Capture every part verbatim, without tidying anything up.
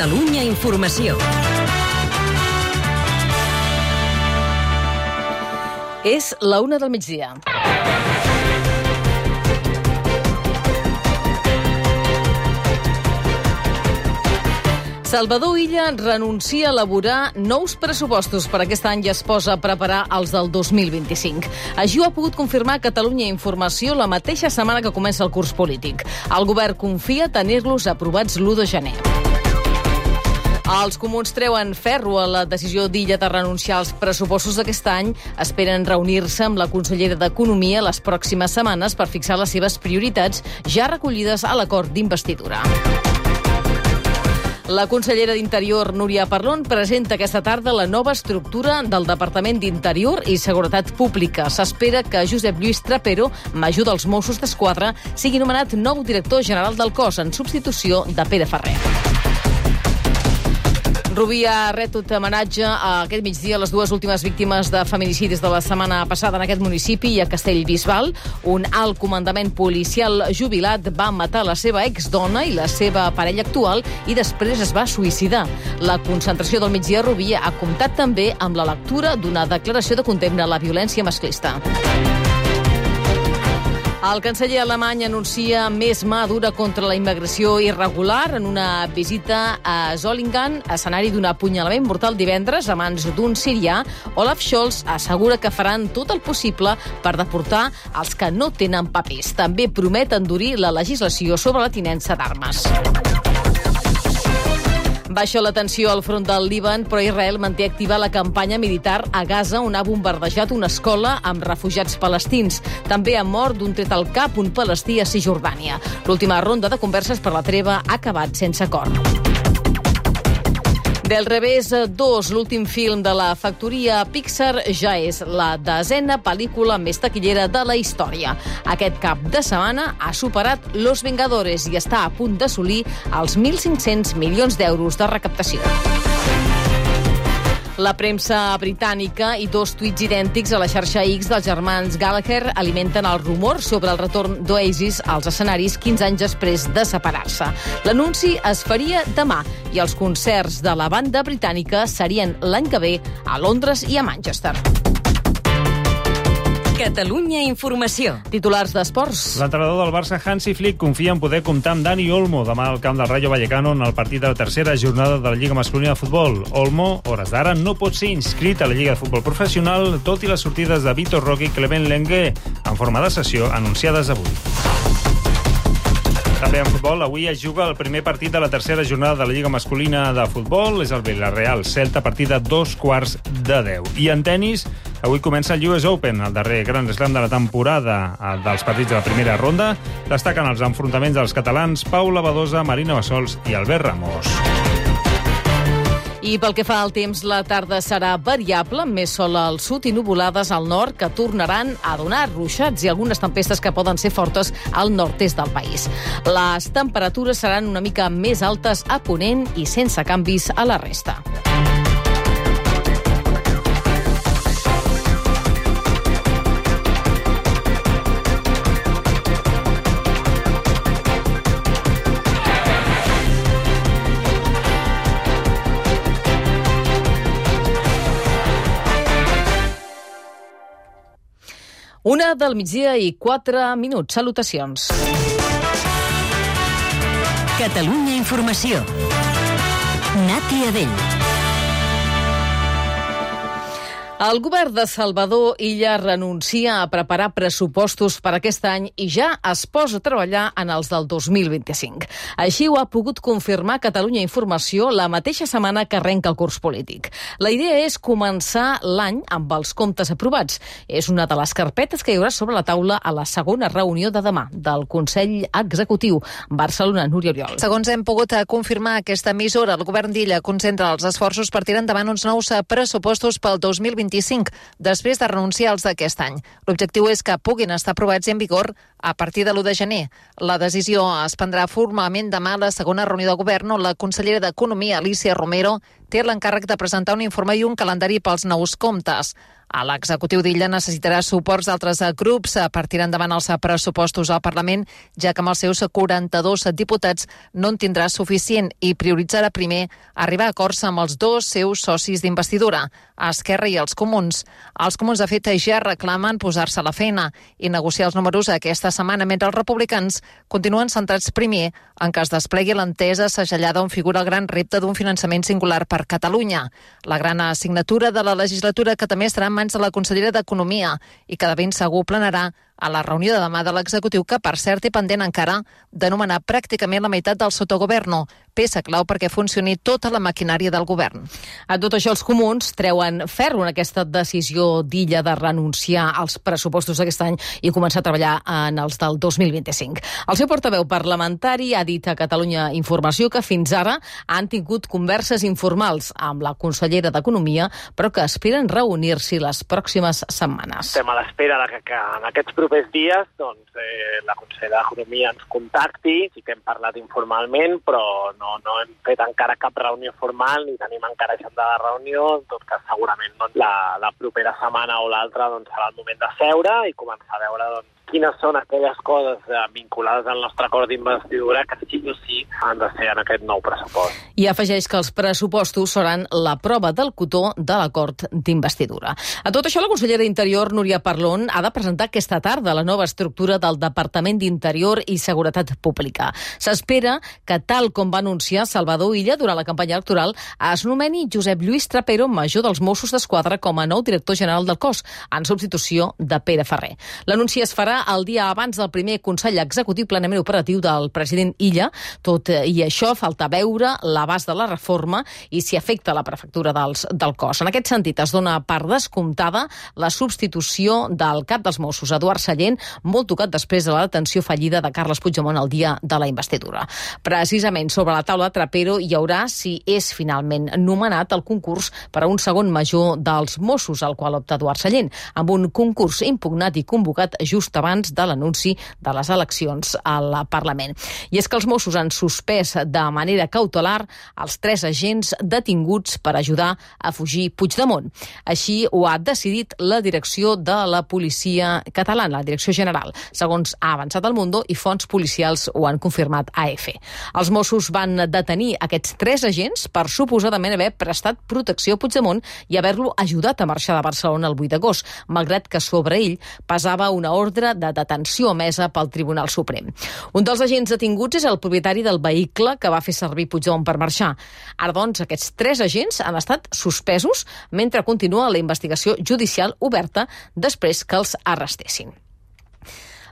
Catalunya Informació. És la una del migdia. Salvador Illa renuncia a elaborar nous pressupostos per aquest any i es posa a preparar els del dos mil vint-i-cinc. Així ho ha pogut confirmar Catalunya Informació la mateixa setmana que comença el curs polític. El govern confia tenir-los aprovats l'u de gener. Els comuns treuen ferro a la decisió d'Illa de renunciar als pressupostos d'aquest any. Esperen reunir-se amb la consellera d'Economia les pròximes setmanes per fixar les seves prioritats ja recollides a l'acord d'investidura. La consellera d'Interior, Núria Parlon, presenta aquesta tarda la nova estructura del Departament d'Interior i Seguretat Pública. S'espera que Josep Lluís Trapero, major dels Mossos d'Esquadra, sigui nomenat nou director general del cos en substitució de Pere Ferrer. Rubí ha retut homenatge a aquest migdia a les dues últimes víctimes de feminicidis de la setmana passada en aquest municipi i a Castellbisbal. Un alt comandament policial jubilat va matar la seva exdona i la seva parella actual i després es va suïcidar. La concentració del migdia a Rubí ha comptat també amb la lectura d'una declaració de condemna a la violència masclista. El canceller alemany anuncia més mà dura contra la immigració irregular en una visita a Solingen, escenari d'un apunyalament mortal divendres a mans d'un sirià. Olaf Scholz assegura que faran tot el possible per deportar els que no tenen papers. També promet endurir la legislació sobre la tinença d'armes. Baixa la tensió al front del Líban, però Israel manté activa la campanya militar a Gaza, on ha bombardejat una escola amb refugiats palestins. També ha mort d'un tret al cap un palestí a Cisjordània. L'última ronda de converses per la treva ha acabat sense acord. Del revés dos, l'últim film de la factoria Pixar, ja és la desena pel·lícula més taquillera de la història. Aquest cap de setmana ha superat Los Vengadores i està a punt d'assolir els mil cinc-cents milions d'euros de recaptació. La premsa britànica i dos tuits idèntics a la xarxa X dels germans Gallagher alimenten el rumor sobre el retorn d'Oasis als escenaris quinze anys després de separar-se. L'anunci es faria demà i els concerts de la banda britànica serien l'any que ve a Londres i a Manchester. Catalunya Informació. Titulars d'esports. L'entrenador del Barça, Hansi Flick, confia en poder comptar amb Dani Olmo demà al camp del Rayo Vallecano en el partit de la tercera jornada de la Lliga Masculina de Futbol. Olmo, hores d'ara, no pot ser inscrit a la Lliga de Futbol Professional, tot i les sortides de Vitor Roque i Clement Lenglet en forma de sessió anunciades avui. També en futbol, avui es juga el primer partit de la tercera jornada de la Lliga Masculina de Futbol. És el Villarreal Celta, partida dos quarts de deu. I en tenis, avui comença el U S Open, el darrer Grand Slam de la temporada dels partits de la primera ronda. Destaquen els enfrontaments dels catalans Paula Badosa, Marina Bassols i Albert Ramos. I pel que fa al temps, la tarda serà variable, amb més sol al sud i nuvolades al nord, que tornaran a donar ruixats i algunes tempestes que poden ser fortes al nord-est del país. Les temperatures seran una mica més altes a Ponent i sense canvis a la resta. Una del migdia i quatre minuts. Salutacions. Catalunya Informació. Nati Adell. El govern de Salvador Illa renuncia a preparar pressupostos per aquest any i ja es posa a treballar en els del dos mil vint-i-cinc. Així ho ha pogut confirmar Catalunya Informació la mateixa setmana que arrenca el curs polític. La idea és començar l'any amb els comptes aprovats. És una de les carpetes que hi haurà sobre la taula a la segona reunió de demà del Consell Executiu. Barcelona, Núria Oriol. Segons hem pogut confirmar aquesta emissora, el govern d'Illa concentra els esforços per tirar endavant uns nous pressupostos pel dos mil vint-i-cinc després de renunciar als d'aquest any. L'objectiu és que puguin estar aprovats i en vigor a partir de l'u de gener. La decisió es prendrà formalment demà a la segona reunió de govern on la consellera d'Economia, Alícia Romero, té l'encàrrec de presentar un informe i un calendari pels nous comptes. L'executiu d'Illa necessitarà suports d'altres grups per tirar endavant els pressupostos al Parlament, ja que amb els seus quaranta-dos diputats no en tindrà suficient i prioritzarà primer arribar a acords amb els dos seus socis d'investidura, Esquerra i els Comuns. Els Comuns, de fet, ja reclamen posar-se a la feina i negociar els números aquesta setmana, mentre els republicans continuen centrats primer en que es desplegui l'entesa segellada on figura el gran repte d'un finançament singular per Catalunya. La gran assignatura de la legislatura, que també estarà en mans de la consellera d'Economia i que de ben segur planarà a la reunió de demà de l'executiu, que per cert té pendent encara de nomenar pràcticament la meitat del sotogoverno, peça clau perquè funcioni tota la maquinària del govern. A tot això, els comuns treuen ferro en aquesta decisió d'Illa de renunciar als pressupostos d'aquest any i començar a treballar en els del dos mil vint-i-cinc. El seu portaveu parlamentari ha dit a Catalunya Informació que fins ara han tingut converses informals amb la consellera d'Economia, però que esperen reunir-s'hi les pròximes setmanes. Estem a l'espera de que, que en aquests propers dies doncs, eh, la consellera d'Economia ens contacti. Sí que hem parlat informalment, però no, no hem fet encara cap reunió formal ni tenim encara agenda de reunió. En tot cas, segurament doncs, la, la propera setmana o l'altra doncs, serà el moment de seure i començar a veure doncs, quines són aquelles coses eh, vinculades al nostre acord d'investidura que sí o sí han de ser en aquest nou pressupost. I afegeix que els pressupostos seran la prova del cotó de l'acord d'investidura. A tot això, la consellera d'Interior, Núria Parlon, ha de presentar aquesta tarda la nova estructura del Departament d'Interior i Seguretat Pública. S'espera que, tal com va anunciar Salvador Illa durant la campanya electoral, es nomeni Josep Lluís Trapero, major dels Mossos d'Esquadra, com a nou director general del cos, en substitució de Pere Ferrer. L'anunci es farà el dia abans del primer Consell Executiu plenament operatiu del president Illa. Tot i això, falta veure l'abast de la reforma i si afecta la prefectura dels, del cos. En aquest sentit, es dona per descomptada la substitució del cap dels Mossos, Eduard Sallent, molt tocat després de la detenció fallida de Carles Puigdemont el dia de la investidura. Precisament sobre la taula de Trapero hi haurà, si és finalment nomenat, el concurs per a un segon major dels Mossos, al qual opta Eduard Sallent, amb un concurs impugnat i convocat just abans de l'anunci de les eleccions al Parlament. I és que els Mossos han suspès de manera cautelar els tres agents detinguts per ajudar a fugir Puigdemont. Així ho ha decidit la direcció de la policia catalana, la direcció general, segons ha avançat el Mundo i fonts policials ho han confirmat a E F E. Els Mossos van detenir aquests tres agents per suposadament haver prestat protecció a Puigdemont i haver-lo ajudat a marxar de Barcelona el vuit d'agost, malgrat que sobre ell pesava una ordre de detenció emesa pel Tribunal Suprem. Un dels agents detinguts és el propietari del vehicle que va fer servir Puigdemont per marxar. Ara, doncs, aquests tres agents han estat suspesos mentre continua la investigació judicial oberta després que els arrestessin.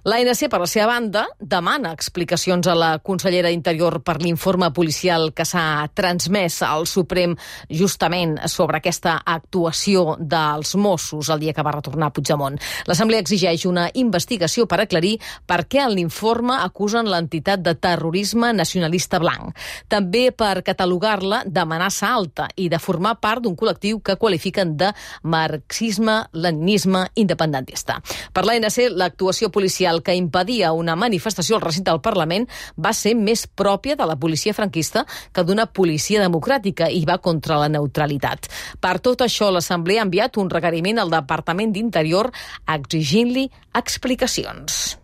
L'A N C, per la seva banda, demana explicacions a la consellera d'Interior per l'informe policial que s'ha transmès al Suprem justament sobre aquesta actuació dels Mossos el dia que va retornar Puigdemont. L'Assemblea exigeix una investigació per aclarir per què en l'informe acusen l'entitat de terrorisme nacionalista blanc. També per catalogar-la d'amenaça alta i de formar part d'un col·lectiu que qualifiquen de marxisme-leninisme independentista. Per l'A N C, l'actuació policial que impedia una manifestació al recinte del Parlament va ser més pròpia de la policia franquista que d'una policia democràtica i va contra la neutralitat. Per tot això, l'Assemblea ha enviat un requeriment al Departament d'Interior exigint-li explicacions.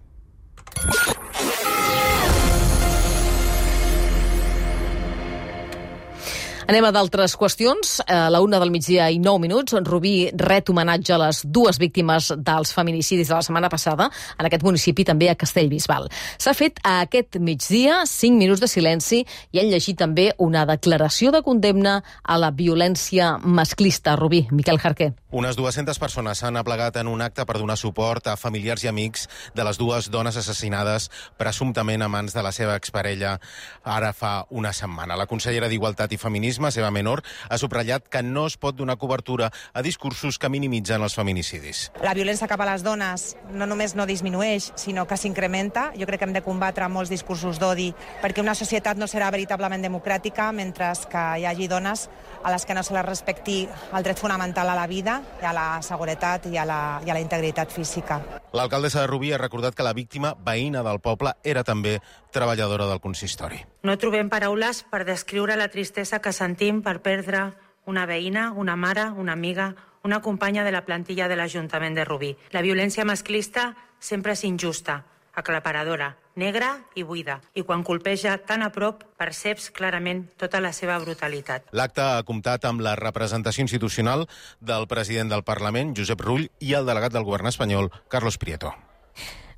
Anem a d'altres qüestions. A la una del migdia i nou minuts, Rubí ret homenatge a les dues víctimes dels feminicidis de la setmana passada, en aquest municipi, també a Castellbisbal. S'ha fet a aquest migdia cinc minuts de silenci i han llegit també una declaració de condemna a la violència masclista. Rubí, Miquel Jarquer. Unes dues-centes persones s'han aplegat en un acte per donar suport a familiars i amics de les dues dones assassinades presumptament a mans de la seva exparella ara fa una setmana. La consellera d'Igualtat i Feminisme, Seva Menor, ha subratllat que no es pot donar cobertura a discursos que minimitzen els feminicidis. La violència cap a les dones no només no disminueix, sinó que s'incrementa. Jo crec que hem de combatre molts discursos d'odi, perquè una societat no serà veritablement democràtica mentre que hi hagi dones a les que no se les respecti el dret fonamental a la vida, i a la seguretat i a la, i a la integritat física. L'alcaldessa de Rubí ha recordat que la víctima, veïna del poble, era també treballadora del consistori. No trobem paraules per descriure la tristesa que sentim per perdre una veïna, una mare, una amiga, una companya de la plantilla de l'Ajuntament de Rubí. La violència masclista sempre és injusta, aclaparadora, negra i buida, i quan colpeja tan a prop perceps clarament tota la seva brutalitat. L'acte ha comptat amb la representació institucional del president del Parlament, Josep Rull, i el delegat del govern espanyol, Carlos Prieto.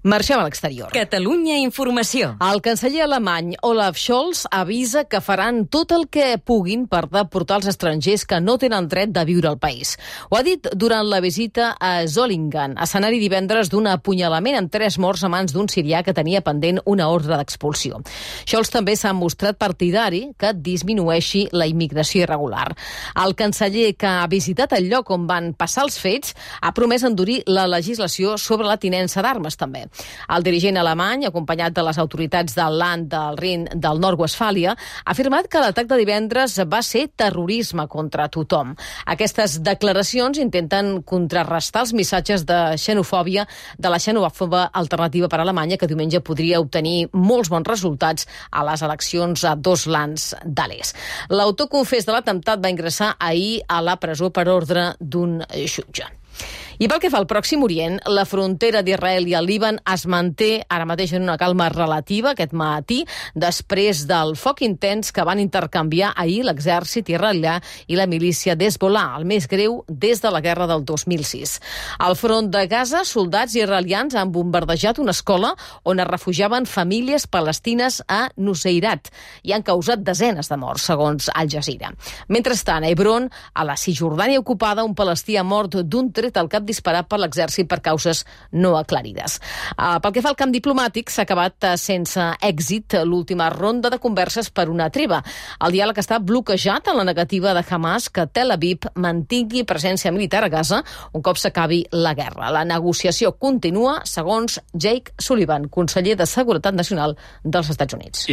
Marxem a l'exterior. Catalunya Informació. El canceller alemany Olaf Scholz avisa que faran tot el que puguin per deportar els estrangers que no tenen dret de viure al país. Ho ha dit durant la visita a Solingen, escenari divendres d'un apunyalament amb tres morts a mans d'un sirià que tenia pendent una ordre d'expulsió. Scholz també s'ha mostrat partidari que disminueixi la immigració irregular. El canceller, que ha visitat el lloc on van passar els fets, ha promès endurir la legislació sobre la tinença d'armes també. El dirigent alemany, acompanyat de les autoritats del Land del Rin del Nord-Westfàlia, ha afirmat que l'atac de divendres va ser terrorisme contra tothom. Aquestes declaracions intenten contrarrestar els missatges de xenofòbia de la xenòfoba Alternativa per Alemanya, que diumenge podria obtenir molts bons resultats a les eleccions a dos lands de l'est. L'autor confés de l'atemptat va ingressar ahir a la presó per ordre d'un jutge. I pel que fa al Pròxim Orient, la frontera d'Israel i el Líban es manté ara mateix en una calma relativa aquest matí, després del foc intens que van intercanviar ahir l'exèrcit israelià i la milícia d'Hezbollah, el més greu des de la guerra del dos mil sis. Al front de Gaza, soldats israelians han bombardejat una escola on es refugiaven famílies palestines a Nuseirat i han causat desenes de morts, segons Al Jazeera. Mentrestant, a Hebron, a la Cisjordània ocupada, un palestí ha mort d'un tret al cap disparat per l'exèrcit per causes no aclarides. Uh, pel que fa al camp diplomàtic, s'ha acabat uh, sense èxit l'última ronda de converses per una treva. El diàleg està bloquejat en la negativa de Hamas que Tel Aviv mantingui presència militar a Gaza un cop s'acabi la guerra. La negociació continua, segons Jake Sullivan, conseller de Seguretat Nacional dels Estats Units.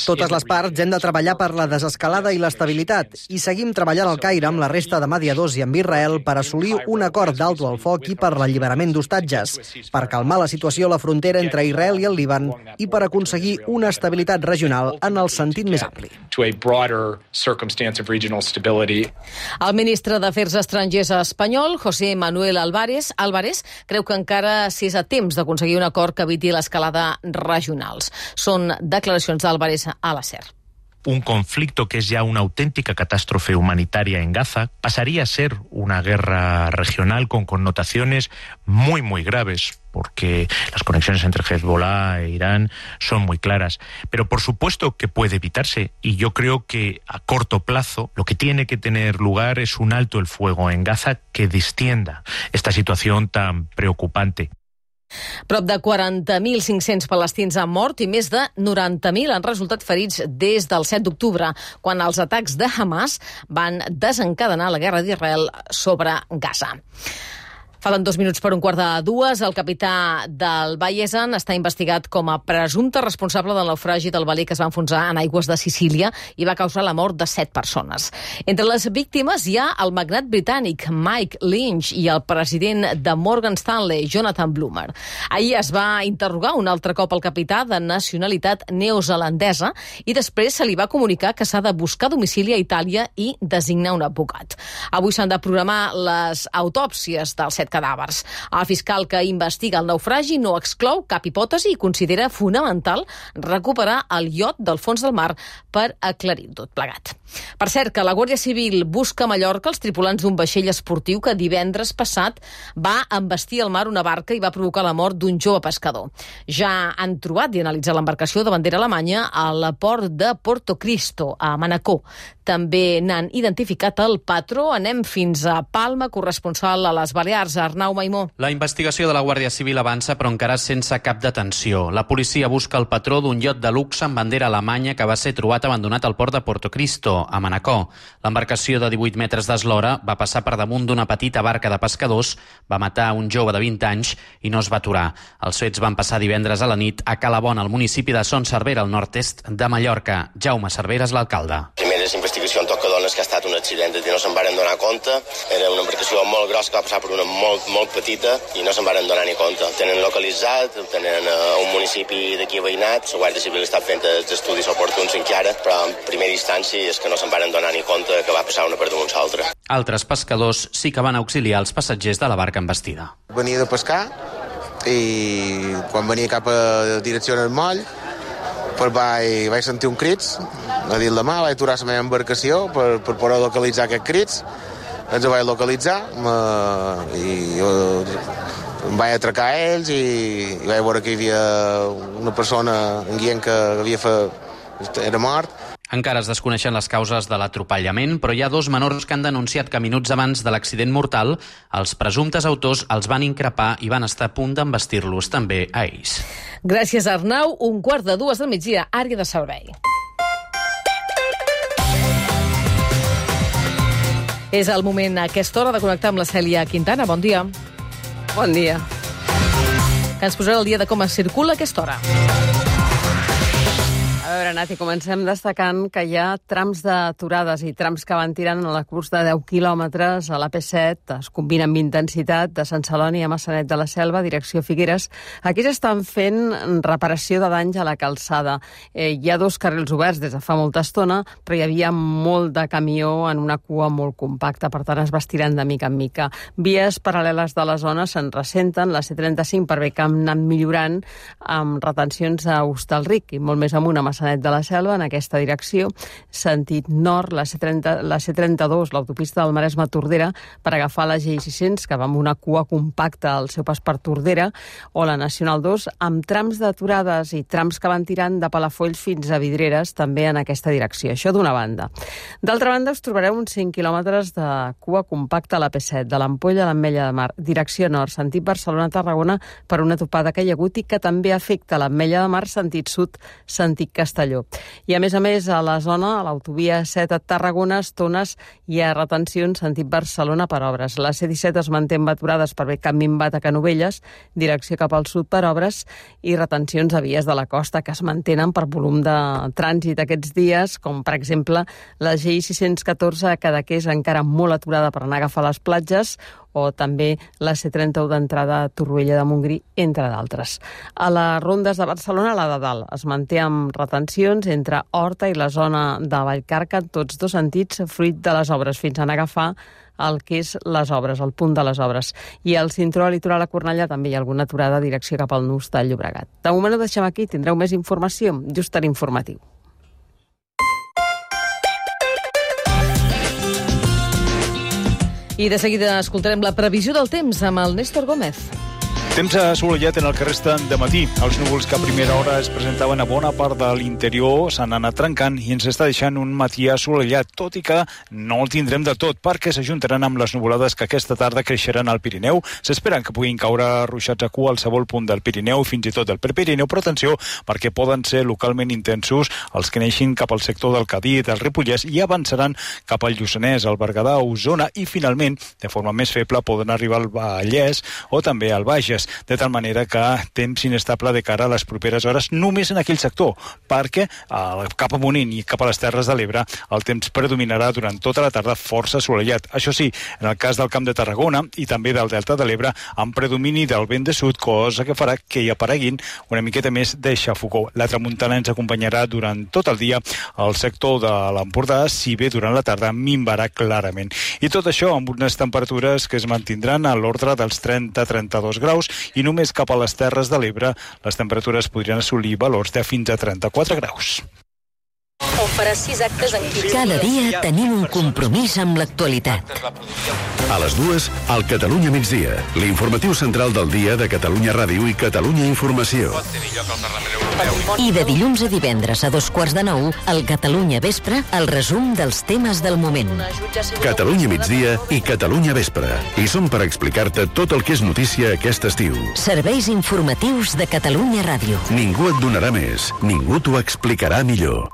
Totes les parts hem de treballar per la desescalada i l'estabilitat i seguim treballant al Caire amb la resta de mediadors i amb Israel per assolir un acord d'alto al foc i per l'alliberament d'hostatges, per calmar la situació a la frontera entre Israel i el Líban i per aconseguir una estabilitat regional en el sentit més ampli. El ministre d'Afers Estrangers espanyol, José Manuel Álvarez, Álvarez, creu que encara s'és a temps d'aconseguir un acord que eviti l'escalada regionals. Són declaracions d'Álvarez a la SER. Un conflicto que es ya una auténtica catástrofe humanitaria en Gaza pasaría a ser una guerra regional con connotaciones muy, muy graves, porque las conexiones entre Hezbollah e Irán son muy claras. Pero por supuesto que puede evitarse, y yo creo que a corto plazo lo que tiene que tener lugar es un alto el fuego en Gaza que distienda esta situación tan preocupante. Prop de quaranta mil cinc-cents palestins han mort i més de noranta mil han resultat ferits des del set d'octubre, quan els atacs de Hamas van desencadenar la guerra d'Israel sobre Gaza. Falten dos minuts per un quart de dues. El capità del Bayesen està investigat com a presumpte responsable del naufragi del velí que es va enfonsar en aigües de Sicília i va causar la mort de set persones. Entre les víctimes hi ha el magnat britànic Mike Lynch i el president de Morgan Stanley, Jonathan Bloomer. Ahir es va interrogar un altre cop el capità de nacionalitat neozelandesa i després se li va comunicar que s'ha de buscar domicili a Itàlia i designar un advocat. Avui s'han de programar les autòpsies dels set cadàvers. El fiscal que investiga el naufragi no exclou cap hipòtesi i considera fonamental recuperar el iot del fons del mar per aclarir tot plegat. Per cert, que la Guàrdia Civil busca a Mallorca els tripulants d'un vaixell esportiu que divendres passat va embestir al mar una barca i va provocar la mort d'un jove pescador. Ja han trobat i analitzat l'embarcació de bandera alemanya al port de Porto Cristo, a Manacor. També n'han identificat el patró. Anem fins a Palma, corresponsal a les Balears, Arnau Maimó. La investigació de la Guàrdia Civil avança, però encara sense cap detenció. La policia busca el patró d'un iot de luxe amb bandera alemanya que va ser trobat abandonat al port de Porto Cristo, a Manacor. L'embarcació de divuit metres d'eslora va passar per damunt d'una petita barca de pescadors, va matar un jove de vint anys i no es va aturar. Els fets van passar divendres a la nit a Calabona, al municipi de Son Cervera, al nord-est de Mallorca. Jaume Cervera és l'alcalde. En primer les investigacions tot que dones que ha estat un accident, i no se'n varen donar compte. Era una embarcació molt grossa que va passar per una molt, molt petita i no se'n varen donar ni compte. El tenen localitzat, el tenen a un municipi d'aquí veïnat, la Guàrdia Civil està fent els estudis oportuns encara, però en primera instància és que no se'n varen donar ni compte que va passar una per damunt l'altra. Altres pescadors sí que van auxiliar els passatgers de la barca embestida. Venia de pescar i quan venia cap a direcció al moll pues vaig, vaig sentir un crits a dit la mà, vaig aturar la meva embarcació per, per poder localitzar aquests crits. Ens vaig localitzar me, i jo, em vaig atracar a ells i, i vaig veure que hi havia una persona en guient que havia fet, era mort. Encara es desconeixen les causes de l'atropellament, però hi ha dos menors que han denunciat que minuts abans de l'accident mortal els presumptes autors els van increpar i van estar a punt d'embestir-los també a ells. Gràcies, Arnau. Un quart de dues del migdia, àrea de servei. És el moment a aquesta hora de connectar amb la Cèlia Quintana. Bon dia. Bon dia. Que ens posarà el dia de com es circula a aquesta hora. A veure, Nati, comencem destacant que hi ha trams d'aturades i trams que van tirant a la curs de deu quilòmetres a l'A P set, es combinen amb intensitat de Sant Celoni a Maçanet de la Selva, direcció Figueres. Aquí s'estan fent reparació de danys a la calçada. Eh, hi ha dos carrils oberts des de fa molta estona, però hi havia molt de camió en una cua molt compacta, per tant es va estirant de mica en mica. Vies paral·leles de la zona se'n ressenten, la C trenta-cinc per bé que han anat millorant amb retencions a Hostalric i molt més amunt a Maçanet de la Selva, en aquesta direcció, sentit nord, la C trenta, la C trenta-dos, l'autopista del Maresme-Tordera, per agafar la G I sis-cents, que va amb una cua compacta al seu pas per Tordera, o la Nacional dos, amb trams d'aturades i trams que van tirant de Palafolls fins a Vidreres, també en aquesta direcció. Això d'una banda. D'altra banda, us trobareu uns cinc quilòmetres de cua compacta a l'A P set, de l'Ampolla a l'Ametlla de Mar, direcció nord, sentit Barcelona-Tarragona, per una topada que hi ha hagut i que també afecta l'Ametlla de Mar, sentit sud, sentit Castelló. I a més a més, a la zona, a l'autovia set a Tarragona, estones hi ha retencions sentit Barcelona per obres. La C disset es manté amb aturades per bé Can Minvat a Canovelles, direcció cap al sud per obres, i retencions a vies de la costa que es mantenen per volum de trànsit aquests dies, com per exemple la G I sis-cents catorze a Cadaqués, encara molt aturada per anar a agafar les platges, o també la C trenta-u d'entrada a Torroella de Montgrí, entre d'altres. A les rondes de Barcelona, la de dalt es manté amb retencions entre Horta i la zona de Vallcarca en tots dos sentits, fruit de les obres, fins a anar a agafar el que és les obres, el punt de les obres. I al cinturó litoral a Cornellà també hi ha alguna aturada a direcció cap al nus del Llobregat. De moment ho deixem aquí, tindreu més informació just a l'informatiu. I de seguida escoltarem la previsió del temps amb el Néstor Gómez. Temps assolellat en el que resta de matí. Els núvols que a primera hora es presentaven a bona part de l'interior s'han anat trencant i ens està deixant un matí assolellat, tot i que no el tindrem de tot, perquè s'ajuntaran amb les nuvolades que aquesta tarda creixeran al Pirineu. S'esperen que puguin caure ruixats a cua al qualsevol punt del Pirineu, fins i tot del Prepirineu, però atenció, perquè poden ser localment intensos els que neixin cap al sector del Cadí, del Ripollès, i avançaran cap al Lluçanès, al Berguedà, a Osona, i finalment, de forma més feble, poden arribar al Vallès o també al Bages, de tal manera que temps inestable de cara a les properes hores només en aquell sector, perquè eh, cap a Ponent i cap a les Terres de l'Ebre el temps predominarà durant tota la tarda força assolellat. Això sí, en el cas del Camp de Tarragona i també del Delta de l'Ebre, amb predomini del vent de sud, cosa que farà que hi apareguin una miqueta més de xafogó. La tramuntana ens acompanyarà durant tot el dia al sector de l'Empordà, si bé durant la tarda minvarà clarament. I tot això amb unes temperatures que es mantindran a l'ordre dels trenta a trenta-dos graus, i només cap a les Terres de l'Ebre les temperatures podrien assolir valors de fins a trenta-quatre graus. On farà sis actes en quinze. Cada dia tenim un compromís amb l'actualitat. A les dues, al Catalunya migdia, l'informatiu central del dia de Catalunya Ràdio i Catalunya Informació. I de dilluns a divendres a dos quarts de nou, al Catalunya Vespre, el resum dels temes del moment. Catalunya migdia i Catalunya Vespre. I som per explicar-te tot el que és notícia aquest estiu. Serveis informatius de Catalunya Ràdio. Ningú et donarà més, ningú t'ho explicarà millor.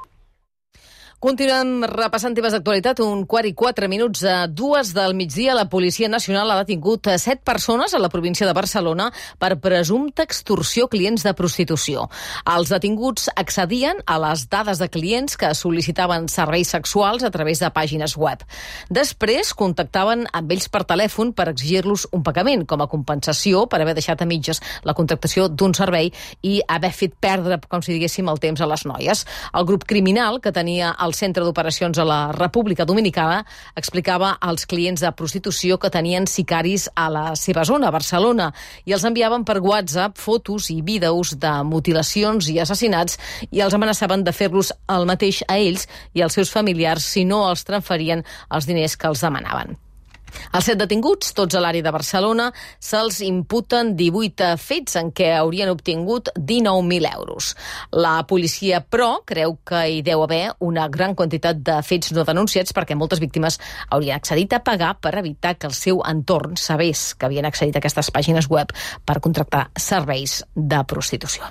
Continuem repassant temes d'actualitat. Un quart i quatre minuts a dues del migdia. La Policia Nacional ha detingut set persones a la província de Barcelona per presumpta extorsió a clients de prostitució. Els detinguts accedien a les dades de clients que sol·licitaven serveis sexuals a través de pàgines web. Després contactaven amb ells per telèfon per exigir-los un pagament com a compensació per haver deixat a mitges la contractació d'un servei i haver fet perdre, com si diguéssim, el temps a les noies. El grup criminal, que tenia el centre d'operacions a la República Dominicana, explicava als clients de prostitució que tenien sicaris a la seva zona, a Barcelona, i els enviaven per WhatsApp fotos i vídeos de mutilacions i assassinats i els amenaçaven de fer-los el mateix a ells i als seus familiars si no els transferien els diners que els demanaven. Els set detinguts, tots a l'àrea de Barcelona, se'ls imputen divuit fets en què haurien obtingut dinou mil euros. La policia, però, creu que hi deu haver una gran quantitat de fets no denunciats perquè moltes víctimes haurien accedit a pagar per evitar que el seu entorn sabés que havien accedit a aquestes pàgines web per contractar serveis de prostitució.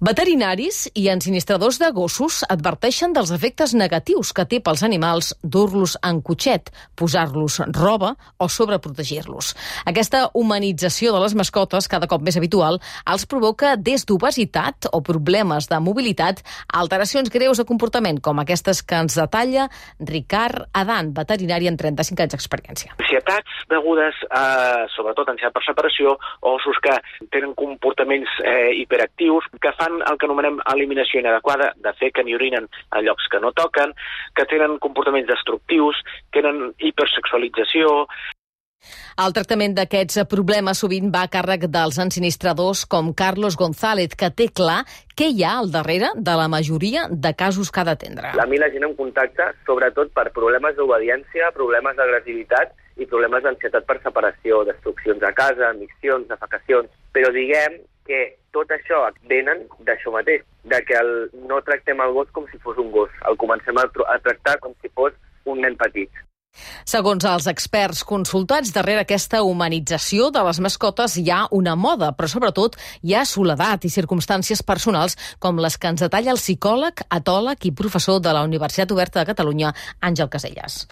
Veterinaris i ensinistradors de gossos adverteixen dels efectes negatius que té pels animals dur-los en cotxet, posar-los roba o sobreprotegir-los. Aquesta humanització de les mascotes, cada cop més habitual, els provoca des d'obesitat o problemes de mobilitat a alteracions greus de comportament, com aquestes que ens detalla Ricard Adan, veterinari amb trenta-cinc anys d'experiència. Ansietats degudes a, sobretot, ansietat per separació, o ossos que tenen comportaments eh, hiperactius, que fan el que anomenem eliminació inadequada, de fer que n'hi orinen a llocs que no toquen, que tenen comportaments destructius, tenen hipersexualització. El tractament d'aquests problemes sovint va a càrrec dels ensinistradors com Carlos González, que té clar què hi ha al darrere de la majoria de casos que ha d'atendre. A mi la gent em contacta sobretot per problemes d'obediència, problemes d'agressivitat i problemes d'ansietat per separació, destruccions a casa, missions, defecacions. Però diguem que tot això venen d'això mateix, de que el, no tractem el gos com si fos un gos, el comencem a, a tractar com si fos un nen petit. Segons els experts consultats, darrere aquesta humanització de les mascotes hi ha una moda, però sobretot hi ha soledat i circumstàncies personals com les que ens detalla el psicòleg, etòleg i professor de la Universitat Oberta de Catalunya, Àngel Casellas.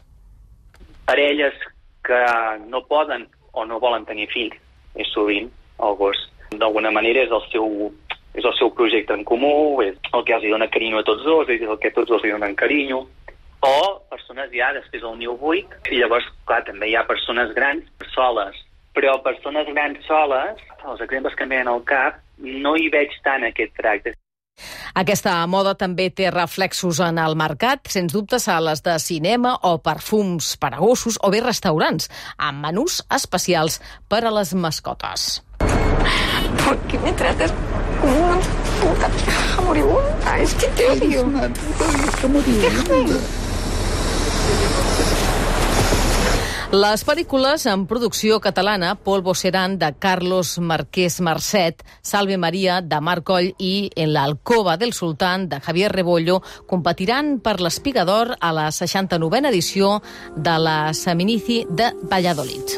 Parelles que no poden o no volen tenir fills, és sovint el gos. D'alguna manera és el seu és el seu projecte en comú, és el que els dona carinyo a tots dos, és el que tots dos li donen carinyo. O persones ja després del niu buit, i llavors, clar, també hi ha persones grans soles. Però persones grans soles, els exemples que em venen al cap, no hi veig tant aquest tracte. Aquesta moda també té reflexos en el mercat, sens dubte sales de cinema o perfums per a gossos o bé restaurants, amb menús especials per a les mascotes. ¿Por qué me tratas como una puta vieja moribunda? Es que te odio. Una puta vieja moribunda. Les pel·lícules en producció catalana Polvo Serán, de Carlos Marquès Marcet, Salve Maria, de Marc Coll i En la alcova del sultán, de Javier Rebollo, competiran per l'Espiga d'Or a la seixanta-novena edició de la Seminici de Valladolid.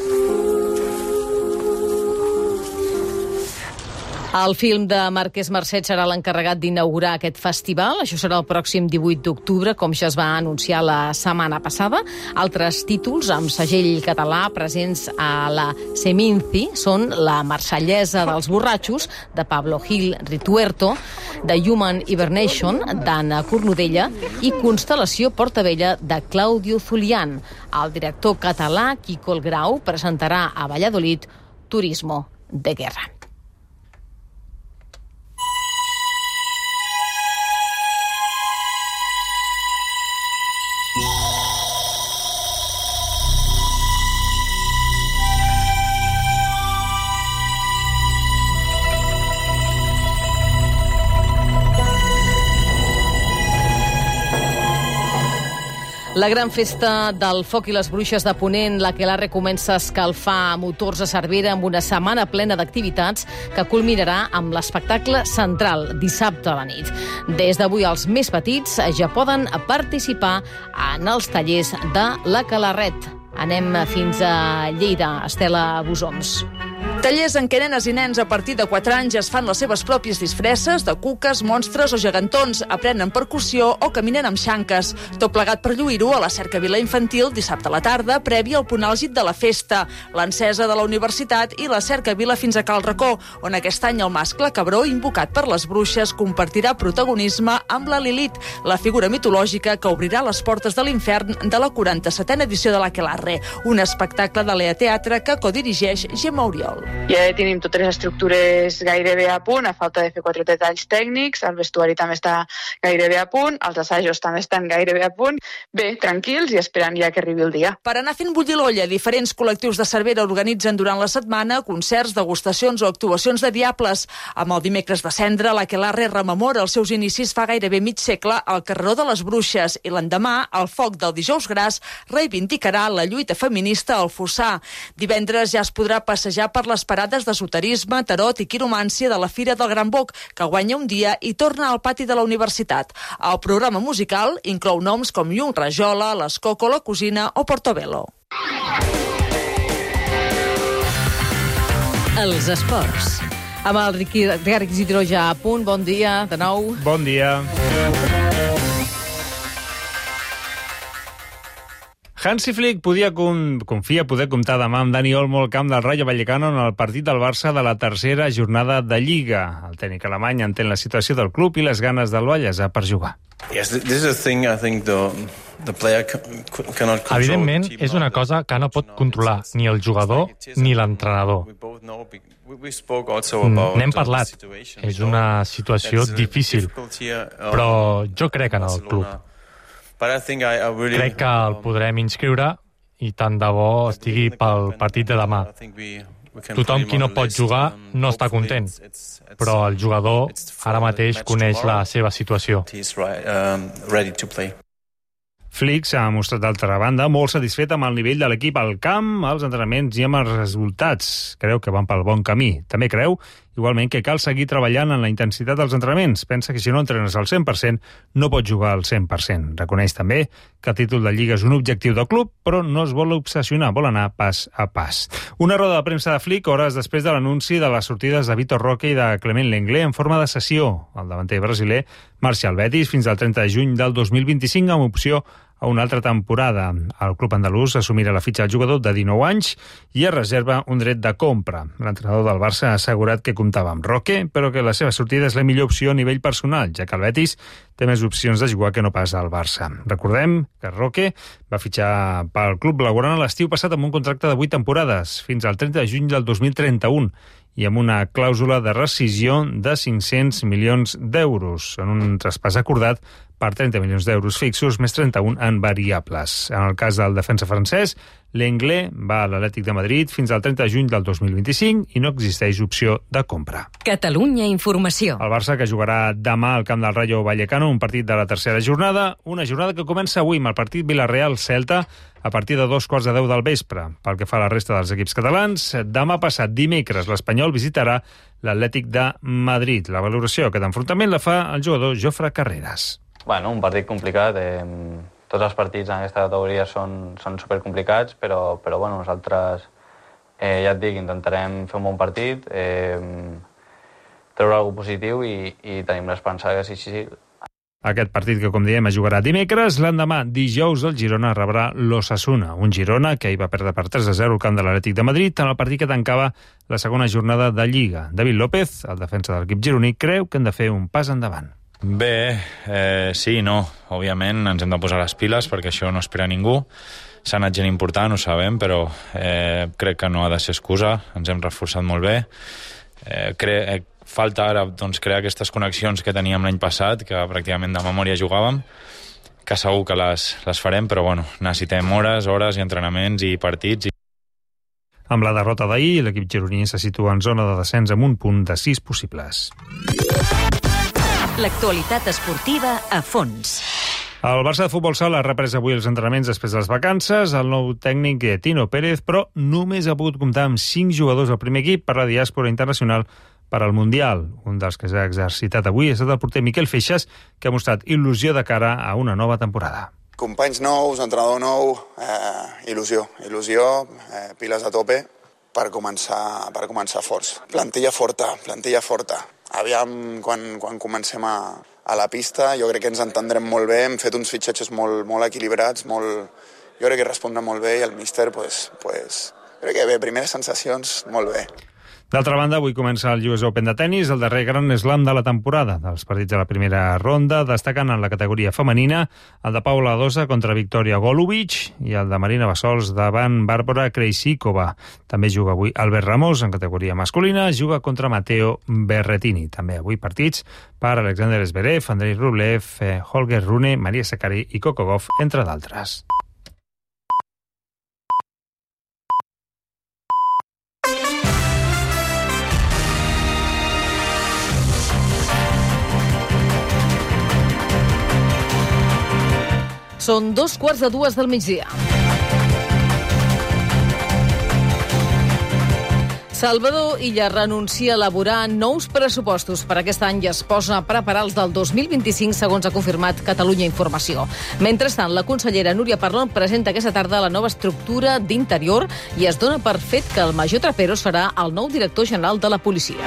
El film de Marquès Marcet serà l'encarregat d'inaugurar aquest festival. Això serà el pròxim divuit d'octubre, com ja es va anunciar la setmana passada. Altres títols amb segell català presents a la Seminci són La marsellesa dels borratxos, de Pablo Gil Rituerto, The Human Hibernation, d'Anna Cornudella, i Constel·lació Portavella, de Claudio Zulián. El director català, Quico el Grau, presentarà a Valladolid Turismo de Guerra. La gran festa del foc i les bruixes de Ponent, l'Aquelarre, comença a escalfar motors a Cervera amb una setmana plena d'activitats que culminarà amb l'espectacle central dissabte a la nit. Des d'avui els més petits ja poden participar en els tallers de l'Aquelarret. Anem fins a Lleida, Estela Busoms. Tallers en què nenes i nens a partir de quatre anys es fan les seves pròpies disfresses de cuques, monstres o gegantons, aprenen percussió o caminen amb xanques. Tot plegat per lluir-ho a la Cercavila Infantil dissabte a la tarda, prèvia al punt àlgid de la festa, l'encesa de la universitat i la Cercavila fins a Cal Racó, on aquest any el mascle cabró, invocat per les bruixes, compartirà protagonisme amb la Lilith, la figura mitològica que obrirà les portes de l'infern de la quaranta-setena edició de l'Aquelarre, un espectacle de l'E A Teatre que codirigeix Gemma Oriol. Ja tenim totes les estructures gairebé a punt, a falta de fer quatre detalls tècnics, el vestuari també està gairebé a punt, els assajos també estan gairebé a punt. Bé, tranquils i esperant ja que arribi el dia. Per anar fent bullir l'olla, diferents col·lectius de Cervera organitzen durant la setmana concerts, degustacions o actuacions de diables. Amb el dimecres de cendra, l'Aquelarre rememora els seus inicis fa gairebé mig segle al carreró de les Bruixes i l'endemà, el foc del Dijous Gras reivindicarà la lluita feminista al Fossar. Divendres ja es podrà passejar per les parades d'esoterisme, tarot i quiromància de la Fira del Gran Boc, que guanya un dia i torna al pati de la universitat. El programa musical inclou noms com Llum Rajola, l'Escoco, la Cosina o Portobello. Els esports. Amb el Ricard Isidro ja a punt. Bon dia, de nou. Bon dia. Hansi Flick podia confia poder comptar demà amb Dani Olmo al camp del Rayo Vallecano en el partit del Barça de la tercera jornada de Lliga. El tècnic alemany entén la situació del club i les ganes del Vallèsà per jugar. Evidentment, és una cosa que no pot controlar ni el jugador ni l'entrenador. N'hem parlat. És una situació difícil, però jo crec en el club. Crec que el podrem inscriure i tant de bo estigui pel partit de demà. Tothom qui no pot jugar no està content, però el jugador ara mateix coneix la seva situació. Flick s'ha mostrat d'altra banda molt satisfet amb el nivell de l'equip al camp, als entrenaments i amb els resultats. Creu que van pel bon camí. També creu, igualment, que cal seguir treballant en la intensitat dels entrenaments. Pensa que si no entrenes al cent per cent, no pots jugar al cent per cent. Reconeix també que el títol de Lliga és un objectiu del club, però no es vol obsessionar, vol anar pas a pas. Una roda de premsa de Flick hores després de l'anunci de les sortides de Vitor Roque i de Clement Lenglet en forma de cessió. El davanter brasiler marxa al Betis fins al trenta de juny del dos mil vint-i-cinc amb opció a una altra temporada. El club andalús assumirà la fitxa del jugador de dinou anys i es reserva un dret de compra. L'entrenador del Barça ha assegurat que comptava amb Roque, però que la seva sortida és la millor opció a nivell personal, ja que el Betis té més opcions de jugar que no pas al Barça. Recordem que Roque va fitxar pel club blaugrana l'estiu passat amb un contracte de vuit temporades, fins al trenta de juny del dos mil trenta-u, i amb una clàusula de rescisió de cinc-cents milions d'euros, en un traspàs acordat per trenta milions d'euros fixos, més trenta-un en variables. En el cas del defensa francès, Lenglet va a l'Atlètic de Madrid fins al trenta de juny del dos mil vint-i-cinc i no existeix opció de compra. Catalunya Informació. El Barça, que jugarà demà al camp del Rayo Vallecano, un partit de la tercera jornada, una jornada que comença avui amb el partit Villarreal-Celta a partir de dos quarts de deu del vespre. Pel que fa a la resta dels equips catalans, demà passat dimecres l'Espanyol visitarà l'Atlètic de Madrid. La valoració d'aquest enfrontament la fa el jugador Jofre Carreras. Bueno, un partit complicat. Eh, tots els partits en aquesta categoria són, són supercomplicats, però, però bueno, nosaltres, eh, ja et dic, intentarem fer un bon partit, eh, treure alguna cosa positiu i, i tenim l'esperança que sí, sí, sí. Aquest partit que, com diem, es jugarà dimecres, l'endemà, dijous, el Girona rebrà l'Osasuna, un Girona que hi va perdre per tres a zero al camp de l'Atlètic de Madrid en el partit que tancava la segona jornada de Lliga. David López, el defensa de l'equip gironí, creu que han de fer un pas endavant. Bé, eh, sí i no. Òbviament ens hem de posar les piles perquè això no espera ningú. S'ha anat gent important, ho sabem, però eh, crec que no ha de ser excusa. Ens hem reforçat molt bé. Eh, cre eh, falta ara doncs, crear aquestes connexions que teníem l'any passat, que pràcticament de memòria jugàvem, que segur que les, les farem, però bueno, necessitem hores, hores i entrenaments i partits. I... Amb la derrota d'ahir, l'equip gironí se situa en zona de descens amb un punt de sis possibles. L'actualitat esportiva a fons. El Barça de futbol sala ha reprès avui els entrenaments després de les vacances. El nou tècnic Tino Pérez, però només ha pogut comptar amb cinc jugadors del primer equip per la diàspora internacional per al Mundial. Un dels que s'ha exercitat avui ha estat el porter Miquel Feixas, que ha mostrat il·lusió de cara a una nova temporada. Companys nous, entrenador nou, eh, il·lusió, il·lusió, eh, piles a tope per començar, per començar forts. Plantilla forta, plantilla forta. Aviam, quan, quan comencem a, a la pista, jo crec que ens entendrem molt bé, hem fet uns fitxatges molt, molt equilibrats, molt, jo crec que respondrà molt bé i el míster, pues, pues, crec que bé, primeres sensacions, molt bé. D'altra banda, avui comença el U S Open de tennis, el darrer gran slam de la temporada. Dels partits de la primera ronda, destacant en la categoria femenina el de Paula Badosa contra Victoria Golubic i el de Marina Bassols davant Bàrbara Krejcikova. També juga avui Albert Ramos en categoria masculina, juga contra Matteo Berrettini. També avui partits per Alexander Zverev, Andrei Rublev, Holger Rune, Maria Sakkari i Coco Gauff, entre d'altres. Són dos quarts de dues del migdia. Salvador Illa renuncia a elaborar nous pressupostos per aquest any i es posa a preparar els del dos mil vint-i-cinc, segons ha confirmat Catalunya Informació. Mentrestant, la consellera Núria Parlon presenta aquesta tarda la nova estructura d'Interior i es dona per fet que el major Trapero serà el nou director general de la policia.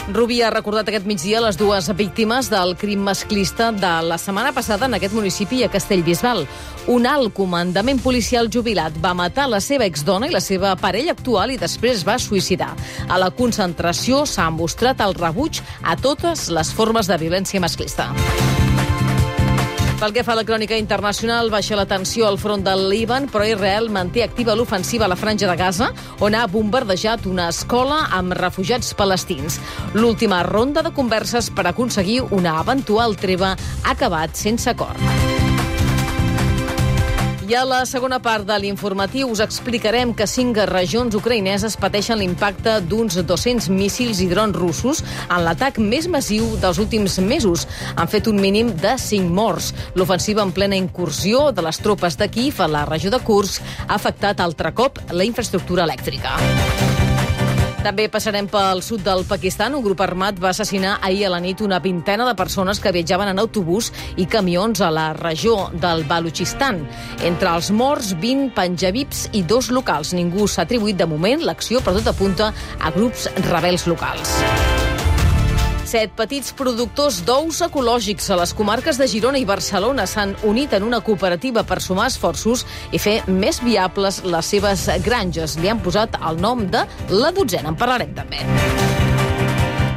Rubí ha recordat aquest migdia les dues víctimes del crim masclista de la setmana passada en aquest municipi a Castellbisbal. Un alt comandament policial jubilat va matar la seva exdona i la seva parella actual i després va suïcidar. A la concentració s'ha mostrat el rebuig a totes les formes de violència masclista. Pel que fa a la crònica internacional, baixa la tensió al front del Líban, però Israel manté activa l'ofensiva a la Franja de Gaza, on ha bombardejat una escola amb refugiats palestins. L'última ronda de converses per aconseguir una eventual treva ha acabat sense acord. I a la segona part de l'informatiu us explicarem que cinc regions ucraïneses pateixen l'impacte d'uns dos-cents míssils i drons russos en l'atac més massiu dels últims mesos. Han fet un mínim de cinc morts. L'ofensiva en plena incursió de les tropes de Kíev a la regió de Kursk ha afectat altre cop la infraestructura elèctrica. També passarem pel sud del Pakistan. Un grup armat va assassinar ahir a la nit una vintena de persones que viatjaven en autobús i camions a la regió del Balutxistan. Entre els morts, vint panjabis i dos locals. Ningú s'ha atribuït de moment l'acció, però tot apunta a grups rebels locals. Set petits productors d'ous ecològics a les comarques de Girona i Barcelona s'han unit en una cooperativa per sumar esforços i fer més viables les seves granges. Li han posat el nom de La Dotzena. En parlarem també.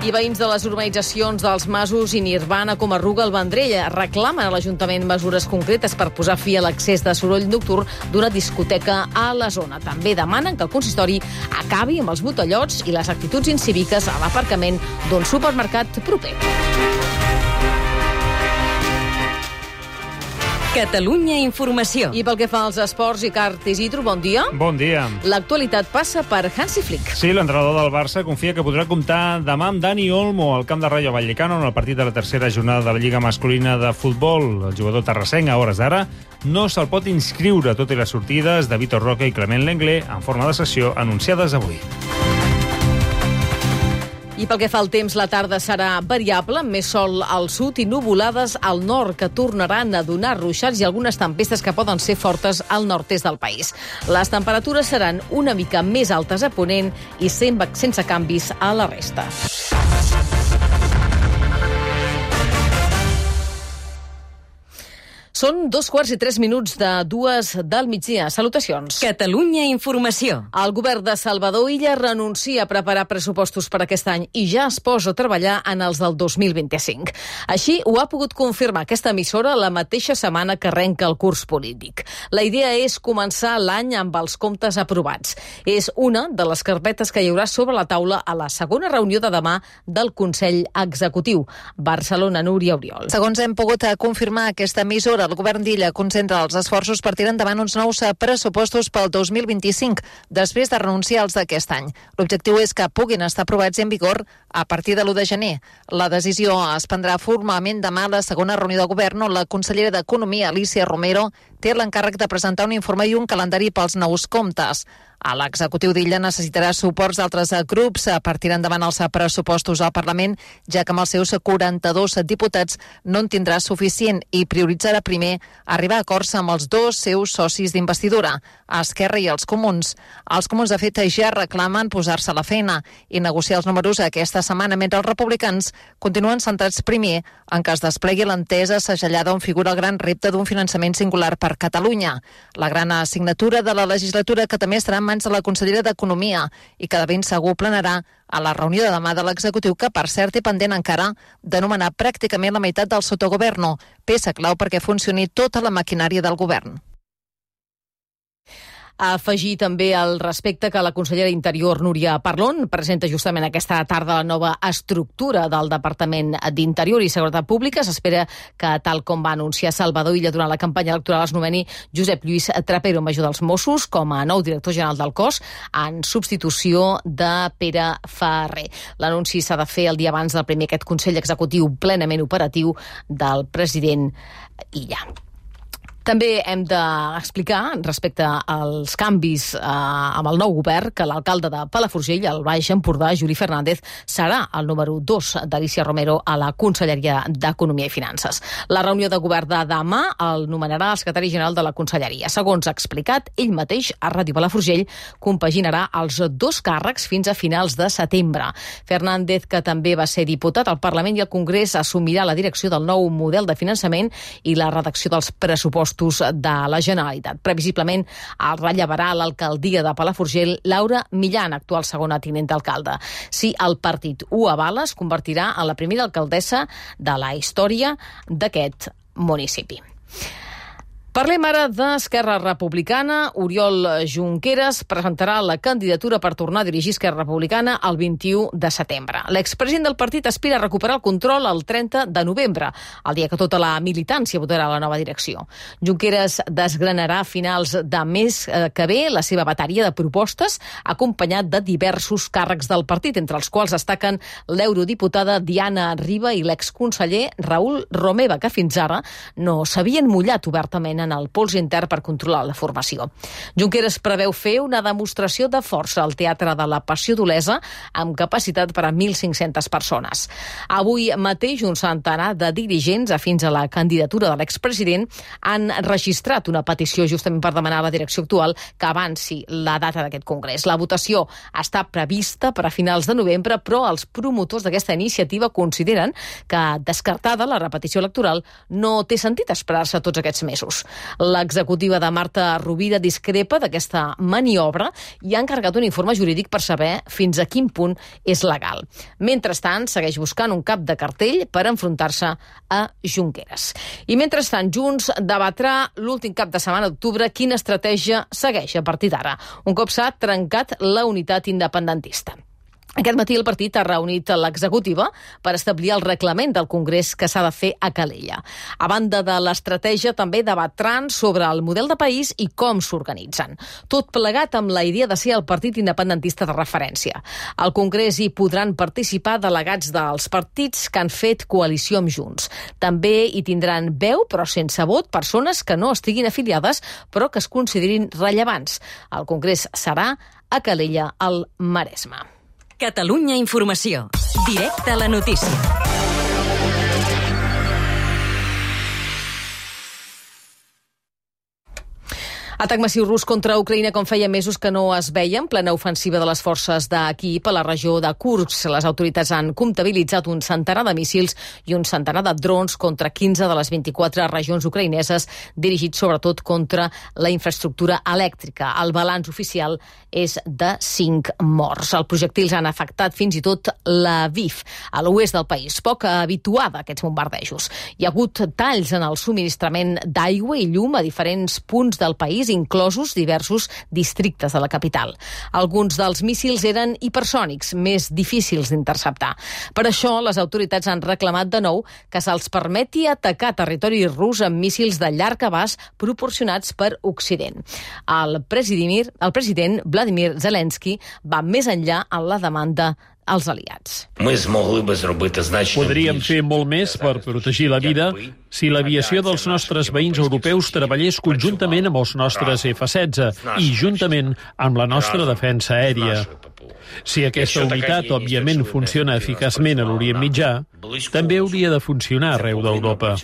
I veïns de les urbanitzacions dels Masos i Nirvana com a Arruga al Vendrell reclamen a l'Ajuntament mesures concretes per posar fi a l'accés de soroll nocturn d'una discoteca a la zona. També demanen que el consistori acabi amb els botellots i les actituds incíviques a l'aparcament d'un supermercat proper. Catalunya Informació. I pel que fa als esports, Ricard Isidro, bon dia. Bon dia. L'actualitat passa per Hansi Flick. Sí, l'entrenador del Barça confia que podrà comptar demà amb Dani Olmo al camp de Rayo Vallecano en el partit de la tercera jornada de la Lliga Masculina de Futbol. El jugador terrassenc, a hores d'ara, no se'l pot inscriure, tot i les sortides de Vitor Roque i Clement Lenglet en forma de sessió anunciades avui. I pel que fa al temps, la tarda serà variable, amb més sol al sud i nuvolades al nord, que tornaran a donar ruixats i algunes tempestes que poden ser fortes al nord-est del país. Les temperatures seran una mica més altes a Ponent i sense canvis a la resta. Són dos quarts i tres minuts de dues del migdia. Salutacions. Catalunya Informació. El govern de Salvador Illa renuncia a preparar pressupostos per aquest any i ja es posa a treballar en els del dos mil vint-i-cinc. Així ho ha pogut confirmar aquesta emissora la mateixa setmana que arrenca el curs polític. La idea és començar l'any amb els comptes aprovats. És una de les carpetes que hi haurà sobre la taula a la segona reunió de demà del Consell Executiu. Barcelona, Núria Oriol. Segons hem pogut confirmar aquesta emissora, el govern d'Illa concentra els esforços per tirar endavant uns nous pressupostos pel dos mil vint-i-cinc, després de renunciar als d'aquest any. L'objectiu és que puguin estar aprovats i en vigor a partir de l'u de gener. La decisió es prendrà formalment demà a la segona reunió de govern, on la consellera d'Economia, Alicia Romero, té l'encàrrec de presentar un informe i un calendari pels nous comptes. L'executiu d'Illa necessitarà suports d'altres grups per tirar endavant els pressupostos al Parlament, ja que amb els seus quaranta-dos diputats no en tindrà suficient i prioritzarà primer arribar a acords amb els dos seus socis d'investidura, Esquerra i els Comuns. Els Comuns, de fet, ja reclamen posar-se a la feina i negociar els números aquesta setmana, mentre els republicans continuen centrats primer en que es desplegui l'entesa segellada on figura el gran repte d'un finançament singular per Catalunya. La gran assignatura de la legislatura, que també estarà en mans de la consellera d'Economia i que de ben segur plenarà a la reunió de demà de l'executiu, que per cert té pendent encara de nomenar pràcticament la meitat del sotogoverno, peça clau perquè funcioni tota la maquinària del govern. Afegir també al respecte que la consellera d'Interior, Núria Parlon, presenta justament aquesta tarda la nova estructura del Departament d'Interior i Seguretat Pública. S'espera que, tal com va anunciar Salvador Illa durant la campanya electoral, es nomeni Josep Lluís Trapero, major dels Mossos, com a nou director general del cos, en substitució de Pere Ferrer. L'anunci s'ha de fer el dia abans del primer aquest Consell Executiu plenament operatiu del president Illa. També hem d'explicar, respecte als canvis eh, amb el nou govern, que l'alcalde de Palafrugell, al Baix Empordà, Juli Fernández, serà el número dos d'Alícia Romero a la Conselleria d'Economia i Finances. La reunió de govern de demà el nomenarà el secretari general de la Conselleria. Segons ha explicat ell mateix a Ràdio Palafrugell, compaginarà els dos càrrecs fins a finals de setembre. Fernández, que també va ser diputat al Parlament i al Congrés, assumirà la direcció del nou model de finançament i la redacció dels pressupostos de la Generalitat. Previsiblement el rellevarà l'alcaldia de Palafrugell Laura Millán, actual segona tinent d'alcalde. Si el partit ho avala, es convertirà en la primera alcaldessa de la història d'aquest municipi. Parlem ara d'Esquerra Republicana. Oriol Junqueras presentarà la candidatura per tornar a dirigir Esquerra Republicana el vint-i-u de setembre. L'expresident del partit aspira a recuperar el control el trenta de novembre, el dia que tota la militància votarà la nova direcció. Junqueras desgranarà a finals de mes que ve la seva bateria de propostes, acompanyat de diversos càrrecs del partit, entre els quals destaquen l'eurodiputada Diana Riba i l'exconseller Raül Romeva, que fins ara no s'havien mullat obertament en el pols intern per controlar la formació. Junqueras preveu fer una demostració de força al Teatre de la Passió d'Olesa amb capacitat per a mil cinc-centes persones. Avui mateix un centenar de dirigents afins a la candidatura de l'expresident han registrat una petició justament per demanar a la direcció actual que avanci la data d'aquest congrés. La votació està prevista per a finals de novembre, però els promotors d'aquesta iniciativa consideren que, descartada la repetició electoral, no té sentit esperar-se tots aquests mesos. L'executiva de Marta Rovira discrepa d'aquesta maniobra i ha encarregat un informe jurídic per saber fins a quin punt és legal. Mentrestant, segueix buscant un cap de cartell per enfrontar-se a Junqueras. I mentrestant, Junts debatrà l'últim cap de setmana d'octubre quina estratègia segueix a partir d'ara, un cop s'ha trencat la unitat independentista. Aquest matí el partit ha reunit l'executiva per establir el reglament del Congrés que s'ha de fer a Calella. A banda de l'estratègia, també debatran sobre el model de país i com s'organitzen. Tot plegat amb la idea de ser el partit independentista de referència. Al Congrés hi podran participar delegats dels partits que han fet coalició amb Junts. També hi tindran veu, però sense vot, persones que no estiguin afiliades, però que es considerin rellevants. El Congrés serà a Calella, al Maresme. Catalunya Informació. Directe a la notícia. Atac massiu rus contra Ucraïna com feia mesos que no es veia en plena ofensiva de les forces de Kíiv a la regió de Kursk. Les autoritats han comptabilitzat un centenar de míssils i un centenar de drons contra quinze de les vint-i-quatre regions ucraïneses, dirigits sobretot contra la infraestructura elèctrica. El balanç oficial és de cinc morts. Els projectils han afectat fins i tot l'Aviv, a l'oest del país, poc habituada a aquests bombardejos. Hi ha hagut talls en el subministrament d'aigua i llum a diferents punts del país, inclosos diversos districtes de la capital. Alguns dels míssils eren hipersònics, més difícils d'interceptar. Per això, les autoritats han reclamat de nou que se'ls permeti atacar territori rus amb míssils de llarg abast proporcionats per Occident. El president, el president Vladimir Zelensky va més enllà en la demanda als aliats. Podríem fer molt més per protegir la vida si l'aviació dels nostres veïns europeus treballés conjuntament amb els nostres efa setze i juntament amb la nostra defensa aèria. Si aquesta unitat, òbviament, funciona eficaçment a l'Orient Mitjà, també hauria de funcionar arreu d'Europa.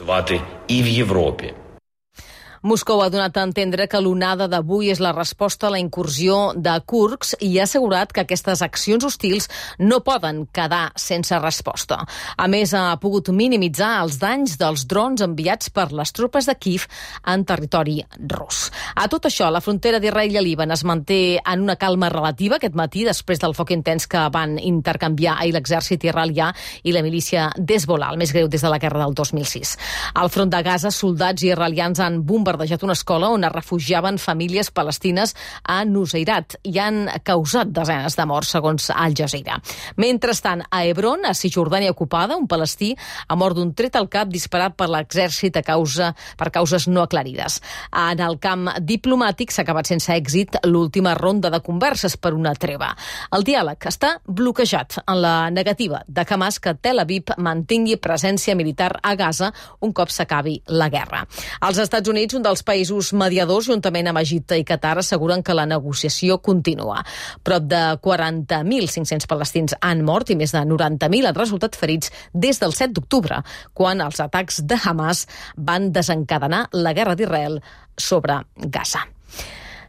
Moscou ha donat a entendre que l'onada d'avui és la resposta a la incursió de Kursk i ha assegurat que aquestes accions hostils no poden quedar sense resposta. A més, ha pogut minimitzar els danys dels drons enviats per les tropes de Kíev en territori rus. A tot això, la frontera d'Israel i Líban es manté en una calma relativa aquest matí després del foc intens que van intercanviar ahir l'exèrcit israelià i la milícia d'Hezbollah, el més greu des de la guerra del dos mil sis. Al front de Gaza, soldats israelians han bombardejat una escola on es refugiaven famílies palestines a Nuseirat i han causat desenes de morts, segons Al Jazeera. Mentrestant, a Hebron, a Cisjordània ocupada, un palestí ha mort d'un tret al cap disparat per l'exèrcit a causa, per causes no aclarides. En el camp diplomàtic s'ha acabat sense èxit l'última ronda de converses per una treva. El diàleg està bloquejat en la negativa de Hamas que Tel Aviv mantingui presència militar a Gaza un cop s'acabi la guerra. Els Estats Units, un dels països mediadors, juntament amb Egipte i Qatar, asseguren que la negociació continua. Prop de quaranta mil cinc-cents palestins han mort i més de noranta mil han resultat ferits des del set d'octubre, quan els atacs de Hamas van desencadenar la guerra d'Israel sobre Gaza.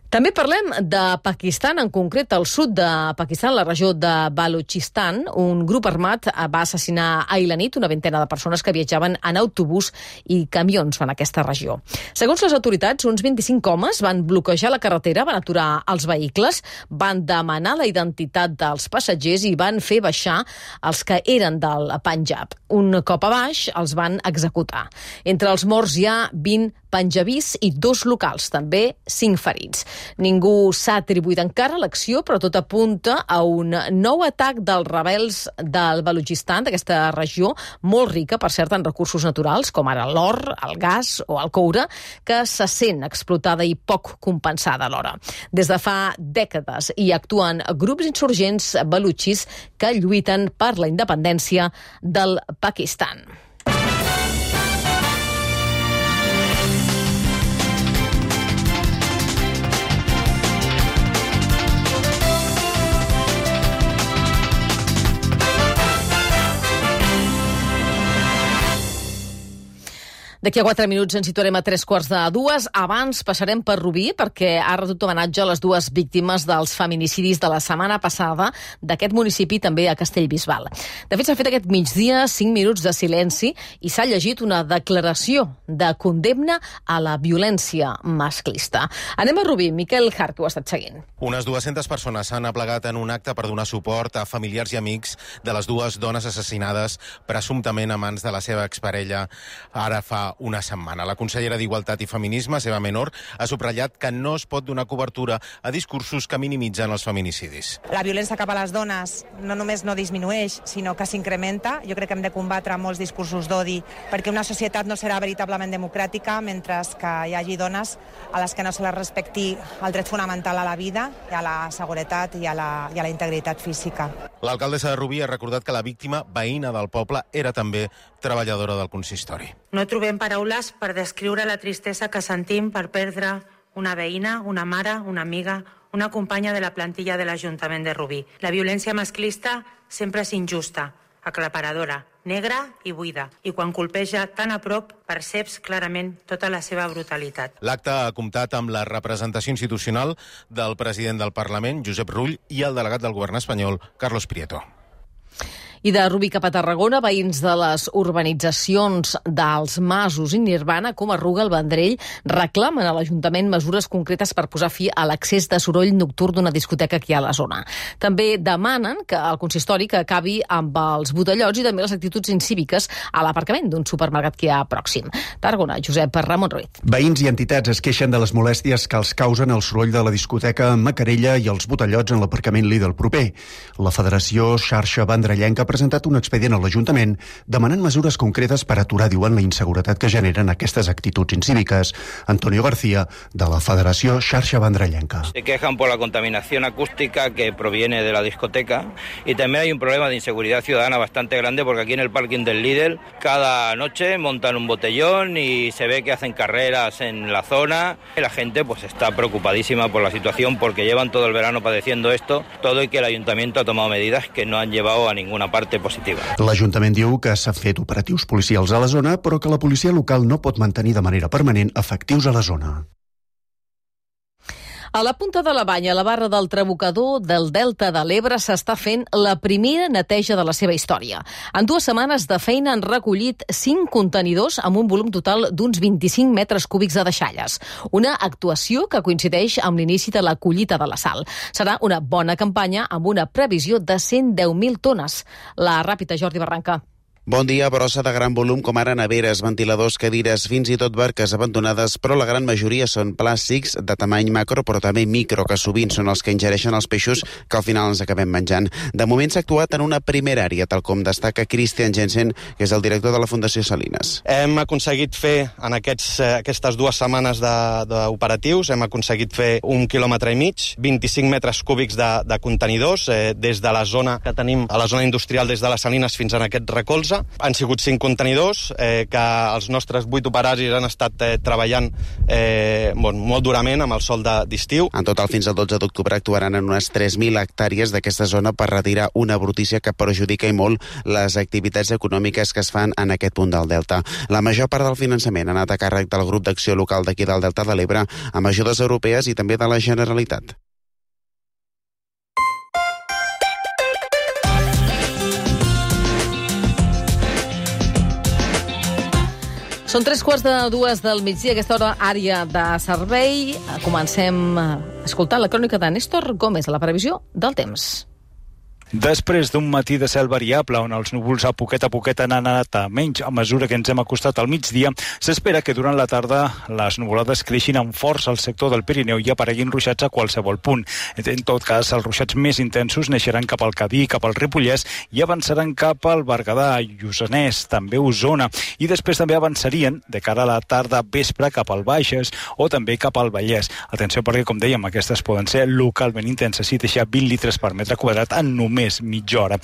També parlem de Pakistan, en concret al sud de Pakistan, la regió de Balochistan. Un grup armat va assassinar ahir la nit una vintena de persones que viatjaven en autobús i camions en aquesta regió. Segons les autoritats, uns vint-i-cinc homes van bloquejar la carretera, van aturar els vehicles, van demanar la identitat dels passatgers i van fer baixar els que eren del Panjab. Un cop a baix, els van executar. Entre els morts hi ha vint panjabís i dos locals, també cinc ferits. Ningú s'ha atribuït encara l'acció, però tot apunta a un nou atac dels rebels del Balochistan, d'aquesta regió molt rica, per cert, en recursos naturals, com ara l'or, el gas o el coure, que se sent explotada i poc compensada alhora. Des de fa dècades hi actuen grups insurgents balutxis que lluiten per la independència del Pakistan. D'aquí a quatre minuts ens situarem a tres quarts de dues. Abans passarem per Rubí, perquè ha rebut homenatge a les dues víctimes dels feminicidis de la setmana passada d'aquest municipi, també a Castellbisbal. De fet, s'ha fet aquest migdia cinc minuts de silenci i s'ha llegit una declaració de condemna a la violència masclista. Anem a Rubí. Miquel Hart, ho ha estat seguint. Unes dues-centes persones s'han aplegat en un acte per donar suport a familiars i amics de les dues dones assassinades presumptament a mans de la seva exparella ara fa una setmana. La consellera d'Igualtat i Feminisme, Seba Menor, ha subratllat que no es pot donar cobertura a discursos que minimitzen els feminicidis. La violència cap a les dones no només no disminueix, sinó que s'incrementa. Jo crec que hem de combatre molts discursos d'odi, perquè una societat no serà veritablement democràtica mentre que hi hagi dones a les que no se les respecti el dret fonamental a la vida, i a la seguretat i a la, i a la integritat física. L'alcaldessa de Rubí ha recordat que la víctima, veïna del poble, era també treballadora del consistori. No trobem paraules per descriure la tristesa que sentim per perdre una veïna, una mare, una amiga, una companya de la plantilla de l'Ajuntament de Rubí. La violència masclista sempre és injusta, aclaparadora, negra i buida, i quan colpeja tan a prop perceps clarament tota la seva brutalitat. L'acte ha comptat amb la representació institucional del president del Parlament, Josep Rull, i el delegat del govern espanyol, Carlos Prieto. I de Rubí cap a Tarragona, veïns de les urbanitzacions dels Masos i Nirvana, com Arruga, el Vendrell, reclamen a l'Ajuntament mesures concretes per posar fi a l'accés de soroll nocturn d'una discoteca que hi ha a la zona. També demanen que el consistori que acabi amb els botellots i també les actituds incíviques a l'aparcament d'un supermercat que hi ha pròxim. Tarragona, Josep Ramon Ruiz. Veïns i entitats es queixen de les molèsties que els causen el soroll de la discoteca Macarella i els botellots en l'aparcament Lidl proper. La Federació Xarxa Vendrellenca presentat un expedient a l'Ajuntament demanant mesures concretes per aturar, diuen, la inseguretat que generen aquestes actituds incíviques. Antonio García, de la Federació Xarxa Vendrellenca. Se quejan por la contaminación acústica que proviene de la discoteca y también hay un problema de inseguridad ciudadana bastante grande porque aquí en el parking del Lidl cada noche montan un botellón y se ve que hacen carreras en la zona. La gente pues está preocupadísima por la situación porque llevan todo el verano padeciendo esto, todo y que el ayuntamiento ha tomado medidas que no han llevado a ninguna parte positiva. L'Ajuntament diu que s'han fet operatius policials a la zona, però que la policia local no pot mantenir de manera permanent efectius a la zona. A la punta de la Banya, a la barra del Trabucador del Delta de l'Ebre, s'està fent la primera neteja de la seva història. En dues setmanes de feina han recollit cinc contenidors amb un volum total d'uns vint-i-cinc metres cúbics de deixalles. Una actuació que coincideix amb l'inici de la collita de la sal. Serà una bona campanya amb una previsió de cent deu mil tones. La ràpida, Jordi Barranca. Bon dia, brossa de gran volum com ara neveres, ventiladors, cadires, fins i tot barques abandonades, però la gran majoria són plàstics de tamany macro, però també micro, que sovint són els que ingereixen els peixos que al final ens acabem menjant. De moment s'ha actuat en una primera àrea, tal com destaca Christian Jensen, que és el director de la Fundació Salines. Hem aconseguit fer, en aquests, aquestes dues setmanes d'operatius, hem aconseguit fer un quilòmetre i mig, vint-i-cinc metres cúbics de, de contenidors, eh, des de la zona que tenim, a la zona industrial, des de les Salines fins en aquest recolze. Han sigut cinc contenidors eh, que els nostres vuit operaris han estat eh, treballant eh, bon, molt durament amb el sol d'estiu. En total, fins al dotze d'octubre actuaran en unes tres mil hectàrees d'aquesta zona per retirar una brutícia que perjudica i molt les activitats econòmiques que es fan en aquest punt del Delta. La major part del finançament ha anat a càrrec del grup d'acció local d'aquí del Delta de l'Ebre amb ajudes europees i també de la Generalitat. Són tres quarts de dues del migdia, aquesta hora àrea de servei. Comencem escoltant la crònica de Néstor Gómez, la previsió del temps. Després d'un matí de cel variable on els núvols a poquet a poquet han anat a menys a mesura que ens hem acostat al migdia, s'espera que durant la tarda les nuvolades creixin amb força al sector del Pirineu i apareguin ruixats a qualsevol punt. En tot cas, els ruixats més intensos neixeran cap al Cadí, cap al Ripollès i avançaran cap al Berguedà, Lluçanès, també Osona, i després també avançarien de cara a la tarda vespre cap al Baixes o també cap al Vallès. Atenció perquè, com dèiem, aquestes poden ser localment intenses i deixar vint litres per metre quadrat en només més mitja hora.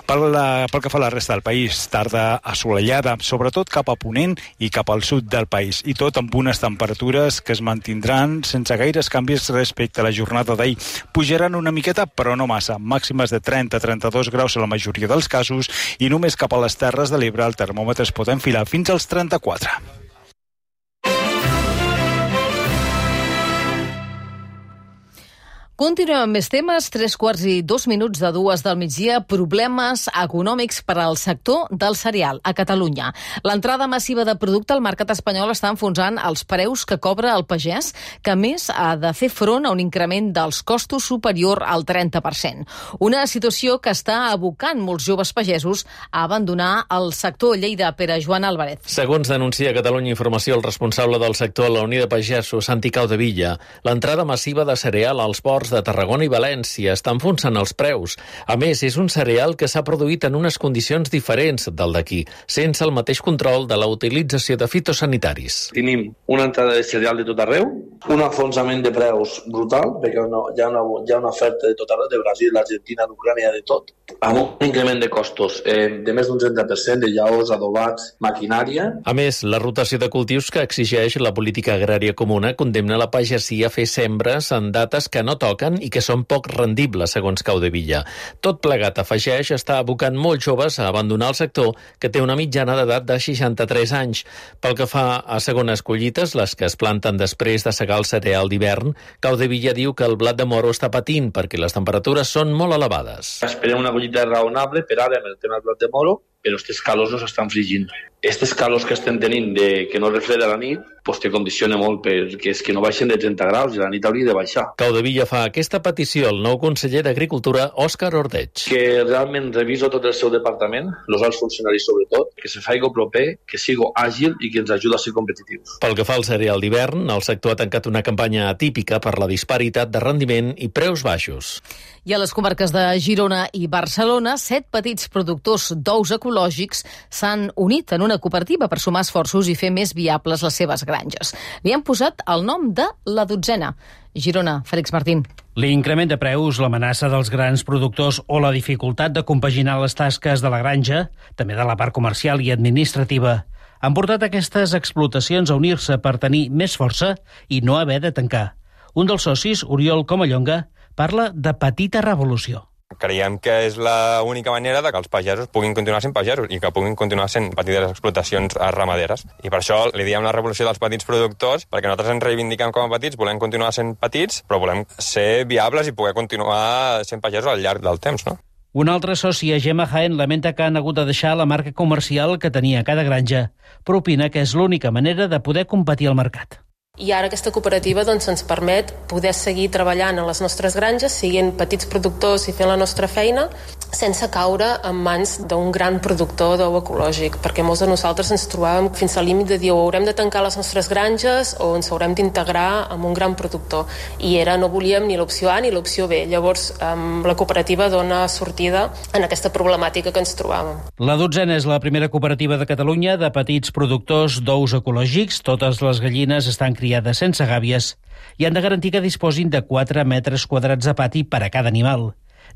Pel, la, pel que fa a la resta del país, tarda assolellada, sobretot cap a Ponent i cap al sud del país, i tot amb unes temperatures que es mantindran sense gaires canvis respecte a la jornada d'ahir. Pujaran una miqueta, però no massa, màximes de trenta a trenta-dos graus a la majoria dels casos, i només cap a les Terres de l'Ebre el termòmetre es pot enfilar fins als trenta-quatre. Continuem amb més temes. Tres quarts i dos minuts de dues del migdia. Problemes econòmics per al sector del cereal a Catalunya. L'entrada massiva de producte al mercat espanyol està enfonsant els preus que cobra el pagès, que a més ha de fer front a un increment dels costos superior al trenta per cent. Una situació que està abocant molts joves pagesos a abandonar el sector. Lleida, Pere Joan Álvarez. Segons denuncia Catalunya Informació, el responsable del sector a la Unió de Pagesos, Santi Caudevilla, l'entrada massiva de cereal als ports de Tarragona i València està enfonsant els preus. A més, és un cereal que s'ha produït en unes condicions diferents del d'aquí, sense el mateix control de la utilització de fitosanitaris. Tenim una entrada de cereal de tot arreu, un enfonsament de preus brutal, perquè no, hi, ha una, hi ha una oferta de tot arreu, de Brasil, l'Argentina, l'Ucrània, de tot, amb un increment de costos eh, de més d'un trenta per cent de llaors, adobats, maquinària. A més, la rotació de cultius que exigeix la política agrària comuna condemna la pagesia a fer sembres en dates que no toquen i que són poc rendibles, segons Caudevilla. Tot plegat, afegeix, està abocant molts joves a abandonar el sector, que té una mitjana d'edat de seixanta-tres anys. Pel que fa a segones collites, les que es planten després de segar el cereal d'hivern, Caudevilla diu que el blat de moro està patint perquè les temperatures són molt elevades. Esperem una collita raonable per ara amb el tema del blat de moro, però aquestes calors no s'estan frigint. Aquestes calors que estem tenint de que no refreda la nit, doncs te condiciona molt perquè és que no baixen de trenta graus i la nit hauria de baixar. Caudevilla fa aquesta petició al nou conseller d'Agricultura, Òscar Ordeig. Que realment reviso tot el seu departament, els alts funcionaris sobretot, que se faci proper, que sigui àgil i que ens ajuda a ser competitius. Pel que fa al cereal d'hivern, el sector ha tancat una campanya atípica per la disparitat de rendiment i preus baixos. I a les comarques de Girona i Barcelona, set petits productors d'ous ecològics s'han unit en una cooperativa per sumar esforços i fer més viables les seves granges. Li han posat el nom de La Dotzena. Girona, Fèlix Martín. L'increment de preus, l'amenaça dels grans productors o la dificultat de compaginar les tasques de la granja, també de la part comercial i administrativa, han portat aquestes explotacions a unir-se per tenir més força i no haver de tancar. Un dels socis, Oriol Comallonga, parla de petita revolució. Creiem que és l'única manera de que els pagesos puguin continuar sent pagesos i que puguin continuar sent petites explotacions ramaderes. I per això li diem la revolució dels petits productors, perquè nosaltres ens reivindiquem com a petits, volem continuar sent petits, però volem ser viables i poder continuar sent pagesos al llarg del temps, no? Un altre soci, Gemma Jaén, lamenta que han hagut de deixar la marca comercial que tenia cada granja, però opina que és l'única manera de poder competir al mercat. I ara aquesta cooperativa doncs, ens permet poder seguir treballant a les nostres granges, siguent petits productors i fent la nostra feina, sense caure en mans d'un gran productor d'ou ecològic, perquè molts de nosaltres ens trobàvem fins al límit de dir o haurem de tancar les nostres granges o ens haurem d'integrar amb un gran productor. I era, no volíem ni l'opció A ni l'opció B. Llavors, um, la cooperativa dona sortida en aquesta problemàtica que ens trobàvem. La Dotzena és la primera cooperativa de Catalunya de petits productors d'ous ecològics. Totes les gallines estan criades sense gàbies i han de garantir que disposin de quatre metres quadrats de pati per a cada animal.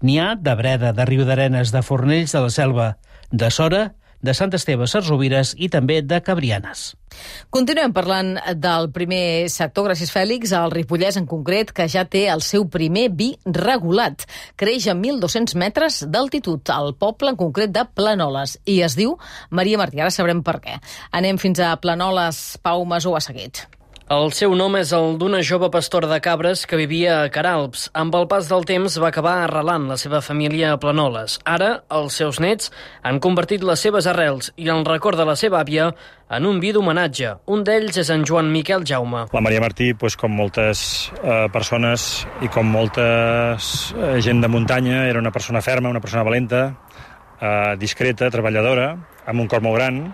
N'hi ha de Breda, de Riudarenes, de Fornells de la Selva, de Sora, de Sant Esteve, Sarsovires i també de Cabrianes. Continuem parlant del primer sector, gràcies Fèlix, al Ripollès en concret, que ja té el seu primer vi regulat. Creix a mil dos-cents metres d'altitud, al poble en concret de Planoles, i es diu Maria Martí. Ara sabrem per què. Anem fins a Planoles, Pau Masó a Seguet. El seu nom és el d'una jove pastora de cabres que vivia a Caralps. Amb el pas del temps va acabar arrelant la seva família a Planoles. Ara, els seus nets han convertit les seves arrels i el record de la seva àvia en un vi d'homenatge. Un d'ells és en Joan Miquel Jaume. La Maria Martí, doncs, com moltes eh, persones i com molta eh, gent de muntanya, era una persona ferma, una persona valenta, eh, discreta, treballadora, amb un cor molt gran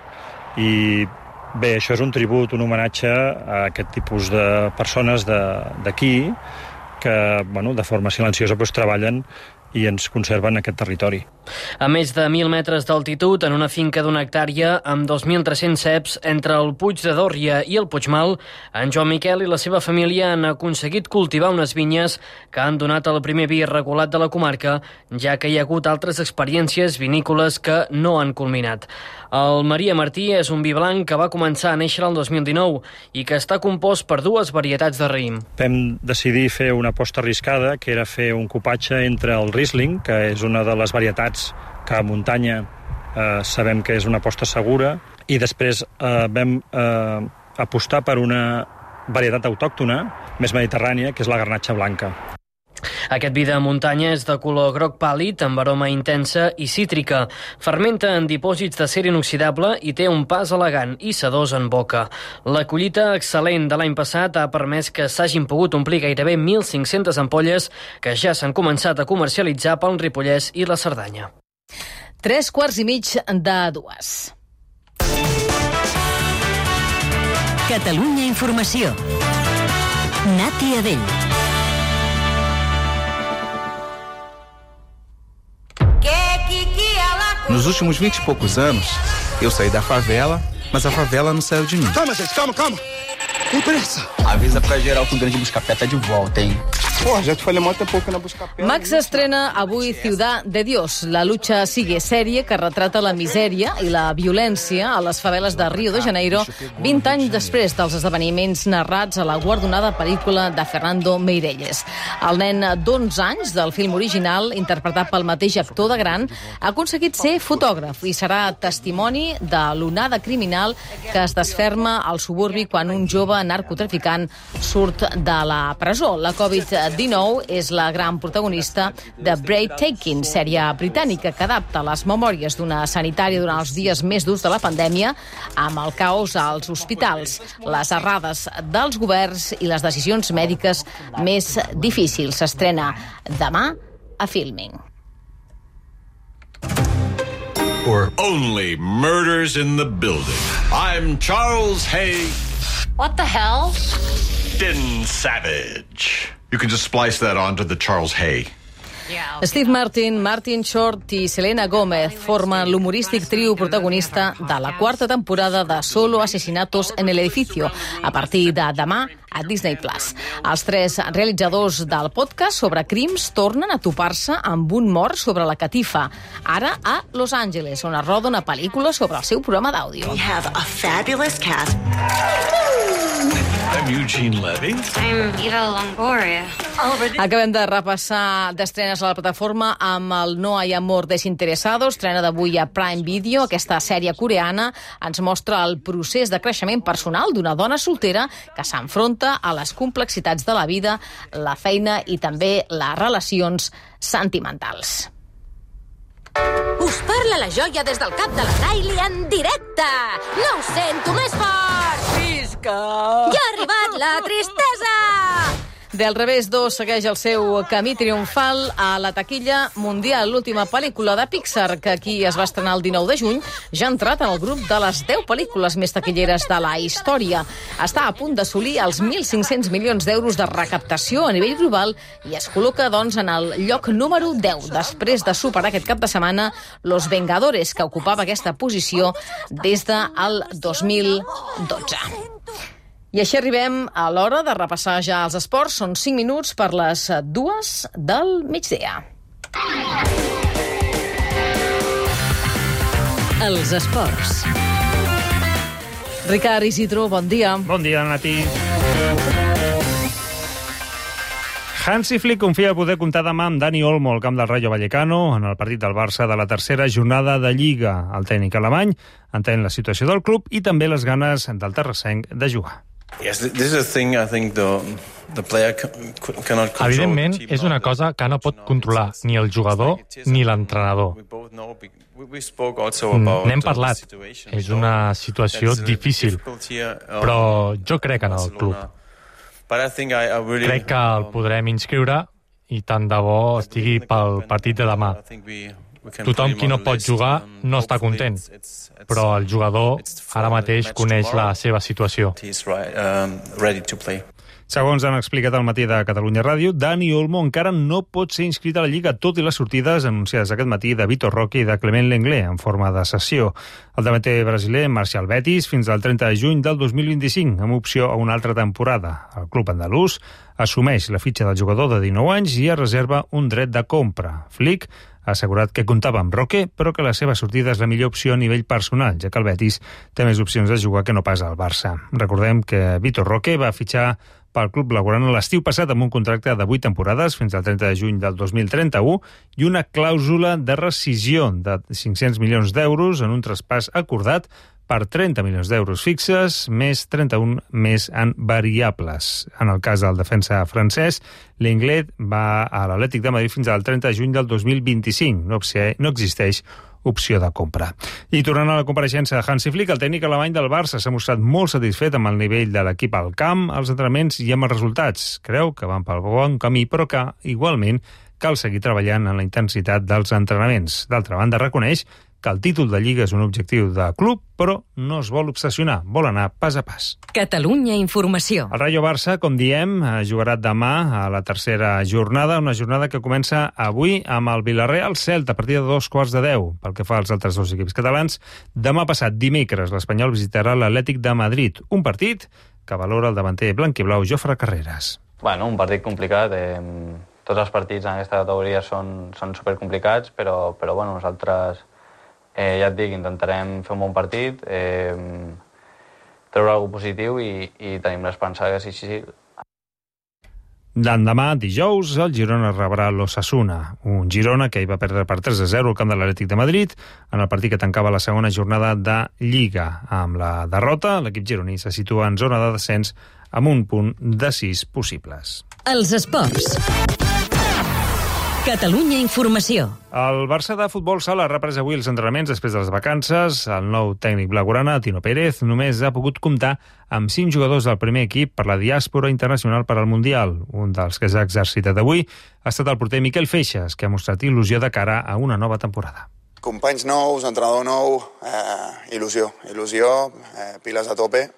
i bé, això és un tribut, un homenatge a aquest tipus de persones d'aquí que, bueno, de forma silenciosa doncs, treballen i ens conserven aquest territori. A més de mil metres d'altitud, en una finca d'una hectàrea amb dos mil tres-cents ceps entre el Puig de Dòrria i el Puigmal, en Joan Miquel i la seva família han aconseguit cultivar unes vinyes que han donat el primer vi regulat de la comarca, ja que hi ha hagut altres experiències vinícoles que no han culminat. El Maria Martí és un vi blanc que va començar a néixer el dos mil dinou i que està compost per dues varietats de raïm. Vam decidir fer una aposta arriscada, que era fer un cupatge entre el Riesling, que és una de les varietats que a muntanya eh, sabem que és una aposta segura, i després eh, vam eh, apostar per una varietat autòctona, més mediterrània, que és la garnatxa blanca. Aquest vi de muntanya és de color groc pàl·lid, amb aroma intensa i cítrica. Fermenta en dipòsits d'acer inoxidable i té un pas elegant i sedós en boca. La collita excel·lent de l'any passat ha permès que s'hagin pogut omplir gairebé mil cinc-centes ampolles que ja s'han començat a comercialitzar pel Ripollès i la Cerdanya. Tres quarts i mig de dues. Catalunya Informació. Nati Adell. Nos últimos vinte e poucos anos, eu saí da favela, mas a favela não saiu de mim. Calma, gente, calma, calma. Tem pressa. Avisa pra geral que o grande Buscapé tá de volta, hein? Pô, já te falei muito pouco na Buscapé. Max estrena avui Ciudad de Dios. La lucha sigue sèrie que retrata la misèria i la violència a les faveles de Rio de Janeiro vint anys després dels esdeveniments narrats a la guardonada pel·lícula de Fernando Meirelles. El nen d'onze anys del film original, interpretat pel mateix actor de gran, ha aconseguit ser fotògraf i serà testimoni de l'onada criminal que es desferma al suburbi quan un jove narcotraficant surt de la presó. La Covid dinou és la gran protagonista de Breathtaking, sèrie britànica que adapta les memòries d'una sanitària durant els dies més durs de la pandèmia, amb el caos als hospitals, les errades dels governs i les decisions mèdiques més difícils. S'estrena demà a Filming. Or only murders in the building. I'm Charles Hay. What the hell? Din Savage. You can just splice that onto the Charles Hay. Steve Martin, Martin Short i Selena Gomez formen l'humorístic trio protagonista de la quarta temporada de Solo Asesinatos en el Edificio, a partir de demà a Disney Plus. Els tres realitzadors del podcast sobre crims tornen a topar-se amb un mort sobre la catifa, ara a Los Angeles, on es roda una pel·lícula sobre el seu programa d'àudio. We have a fabulous cast. I'm Eugene Levy. I'm Eva Longoria. Acabem de repassar d'estrenes a la plataforma amb el No hay amor desinteresado, estrena d'avui a Prime Video. Aquesta sèrie coreana ens mostra el procés de creixement personal d'una dona soltera que s'enfronta a les complexitats de la vida, la feina i també les relacions sentimentals. Us parla la joia des del cap de la Kylie en directe. No ho sento més fort. Visca! Ja ha arribat la tristesa! Del revés dos segueix el seu camí triomfal a la taquilla mundial. L'última pel·lícula de Pixar, que aquí es va estrenar el dinou de juny, ja ha entrat en el grup de les deu pel·lícules més taquilleres de la història. Està a punt d'assolir els mil cinc-cents milions d'euros de recaptació a nivell global i es col·loca, doncs, en el lloc número deu, després de superar aquest cap de setmana Los Vengadores, que ocupava aquesta posició des del dos mil dotze. I així arribem a l'hora de repassar ja els esports. Són cinc minuts per les dues del migdia. Els esports. Ricard Isidro, bon dia. Bon dia, Nati. Hansi Flick confia poder comptar demà amb Dani Olmo al camp del Rayo Vallecano en el partit del Barça de la tercera jornada de Lliga. El tècnic alemany entén la situació del club i també les ganes del terrassenc de jugar. Evidentment, és una cosa que no pot controlar ni el jugador ni l'entrenador. N'hem parlat. És una situació difícil, però jo crec en el club. Crec que el podrem inscriure i tant de bo estigui pel partit de demà. Tothom qui no pot jugar no està content, però el jugador ara mateix coneix la seva situació. Segons han explicat al matí de Catalunya Ràdio, Dani Olmo encara no pot ser inscrit a la Lliga, tot i les sortides anunciades aquest matí de Vitor Roque i de Clement Lenglet en forma de cessió. El davanter brasiler marxa al Betis fins al trenta de juny del dos mil vint-i-cinc, amb opció a una altra temporada. El club andalús assumeix la fitxa del jugador de dinou anys i es reserva un dret de compra. Flick ha assegurat que comptava amb Roque, però que la seva sortida és la millor opció a nivell personal, ja que el Betis té més opcions de jugar que no pas al Barça. Recordem que Vitor Roque va fitxar pel club blaugrana l'estiu passat amb un contracte de vuit temporades fins al trenta de juny del dos mil trenta-u i una clàusula de rescisió de cinc-cents milions d'euros en un traspàs acordat per trenta milions d'euros fixes, més trenta-un més en variables. En el cas del defensa francès, Lenglet va a l'Atlètic de Madrid fins al trenta de juny del dos mil vint-i-cinc. No, no existeix opció de compra. I tornant a la compareixença de Hansi Flick, el tècnic alemany del Barça s'ha mostrat molt satisfet amb el nivell de l'equip al camp, als entrenaments i amb els resultats. Creu que van pel bon camí, però que, igualment, cal seguir treballant en la intensitat dels entrenaments. D'altra banda, reconeix que el títol de Lliga és un objectiu de club, però no es vol obsessionar, vol anar pas a pas. Catalunya Informació. El Rayo Barça, com diem, jugarà demà a la tercera jornada, una jornada que comença avui amb el Villarreal Celta a partir de dos quarts de deu. Pel que fa als altres dos equips catalans, demà passat, dimecres, l'Espanyol visitarà l'Atlètic de Madrid, un partit que valora el davanter blanquiblau Jofre Carreras. Bueno, un partit complicat. Eh, tots els partits en aquesta categoria són, són supercomplicats, però, però bueno, nosaltres... Eh, ja et dic, intentarem fer un bon partit, eh, treure alguna cosa positiu i, i tenim l'esperança que sí, sí, sí. L'endemà, dijous, el Girona rebrà l'Osasuna, un Girona que hi va perdre per tres a zero al camp de l'Atlètic de Madrid en el partit que tancava la segona jornada de Lliga. Amb la derrota, l'equip gironí se situa en zona de descens amb un punt de sis possibles. Els esports. Catalunya Informació. El Barça de futbol sala ha reprès avui els entrenaments després de les vacances. El nou tècnic blaugrana, Tino Pérez, només ha pogut comptar amb cinc jugadors del primer equip per la diàspora internacional per al Mundial. Un dels que s'ha exercitat avui ha estat el porter Miquel Feixas, que ha mostrat il·lusió de cara a una nova temporada. Companys nous, entrenador nou, eh, il·lusió, il·lusió, eh, piles a tope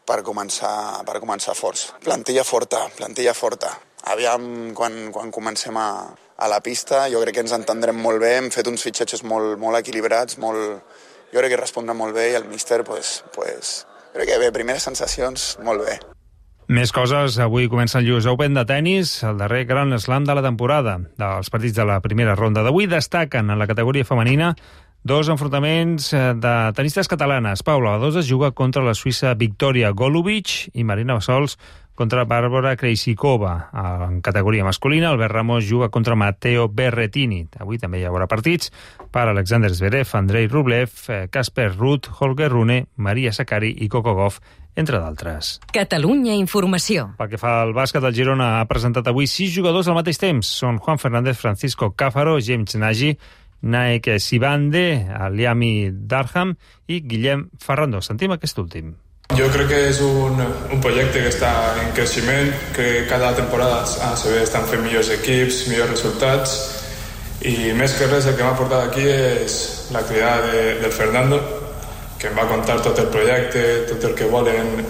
per començar, per començar forts. Plantilla forta, plantilla forta. Aviam, quan, quan comencem a, a la pista, jo crec que ens entendrem molt bé, hem fet uns fitxatges molt, molt equilibrats, molt, jo crec que respondrà molt bé i el míster, pues, pues, crec que bé, primeres sensacions, molt bé. Més coses, avui comença el U S Open de tennis, el darrer Grand Slam de la temporada. Dels partits de la primera ronda d'avui destaquen en la categoria femenina dos enfrontaments de tenistes catalanes. Paula Badosa juga contra la suïssa Victoria Golubic i Marina Bassols contra Bàrbara Krejcikova. En categoria masculina, Albert Ramos juga contra Matteo Berrettini. Avui també hi haurà partits per Alexander Zverev, Andrei Rublev, Casper Ruud, Holger Rune, Maria Sakkari i Coco Gauff, entre d'altres. Catalunya Informació. Pel que fa al bàsquet, el Girona ha presentat avui sis jugadors al mateix temps. Són Juan Fernández, Francisco Cáfaro, James Nagy, Naek Sibande, Aliami Darham i Guillem Ferrando. Sentim aquest últim. Jo crec que és un, un projecte que està en creixement, que cada temporada se ve estan fent millors equips, millors resultats, i més que res el que m'ha portat aquí és l'activitat de, del Fernando, que em va contar tot el projecte, tot el que volen,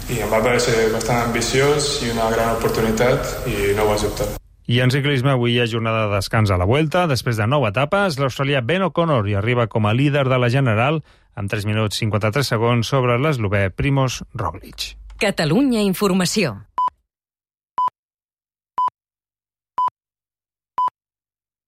i em va parecer bastant ambiciós i una gran oportunitat, i no ho vaig dubtar. I en ciclisme avui hi ha jornada de descans a la Vuelta. Després de nou etapes, l'australià Ben O'Connor hi arriba com a líder de la general amb tres minuts cinquanta-tres segons sobre l'eslovè Primož Roglič. Catalunya Informació.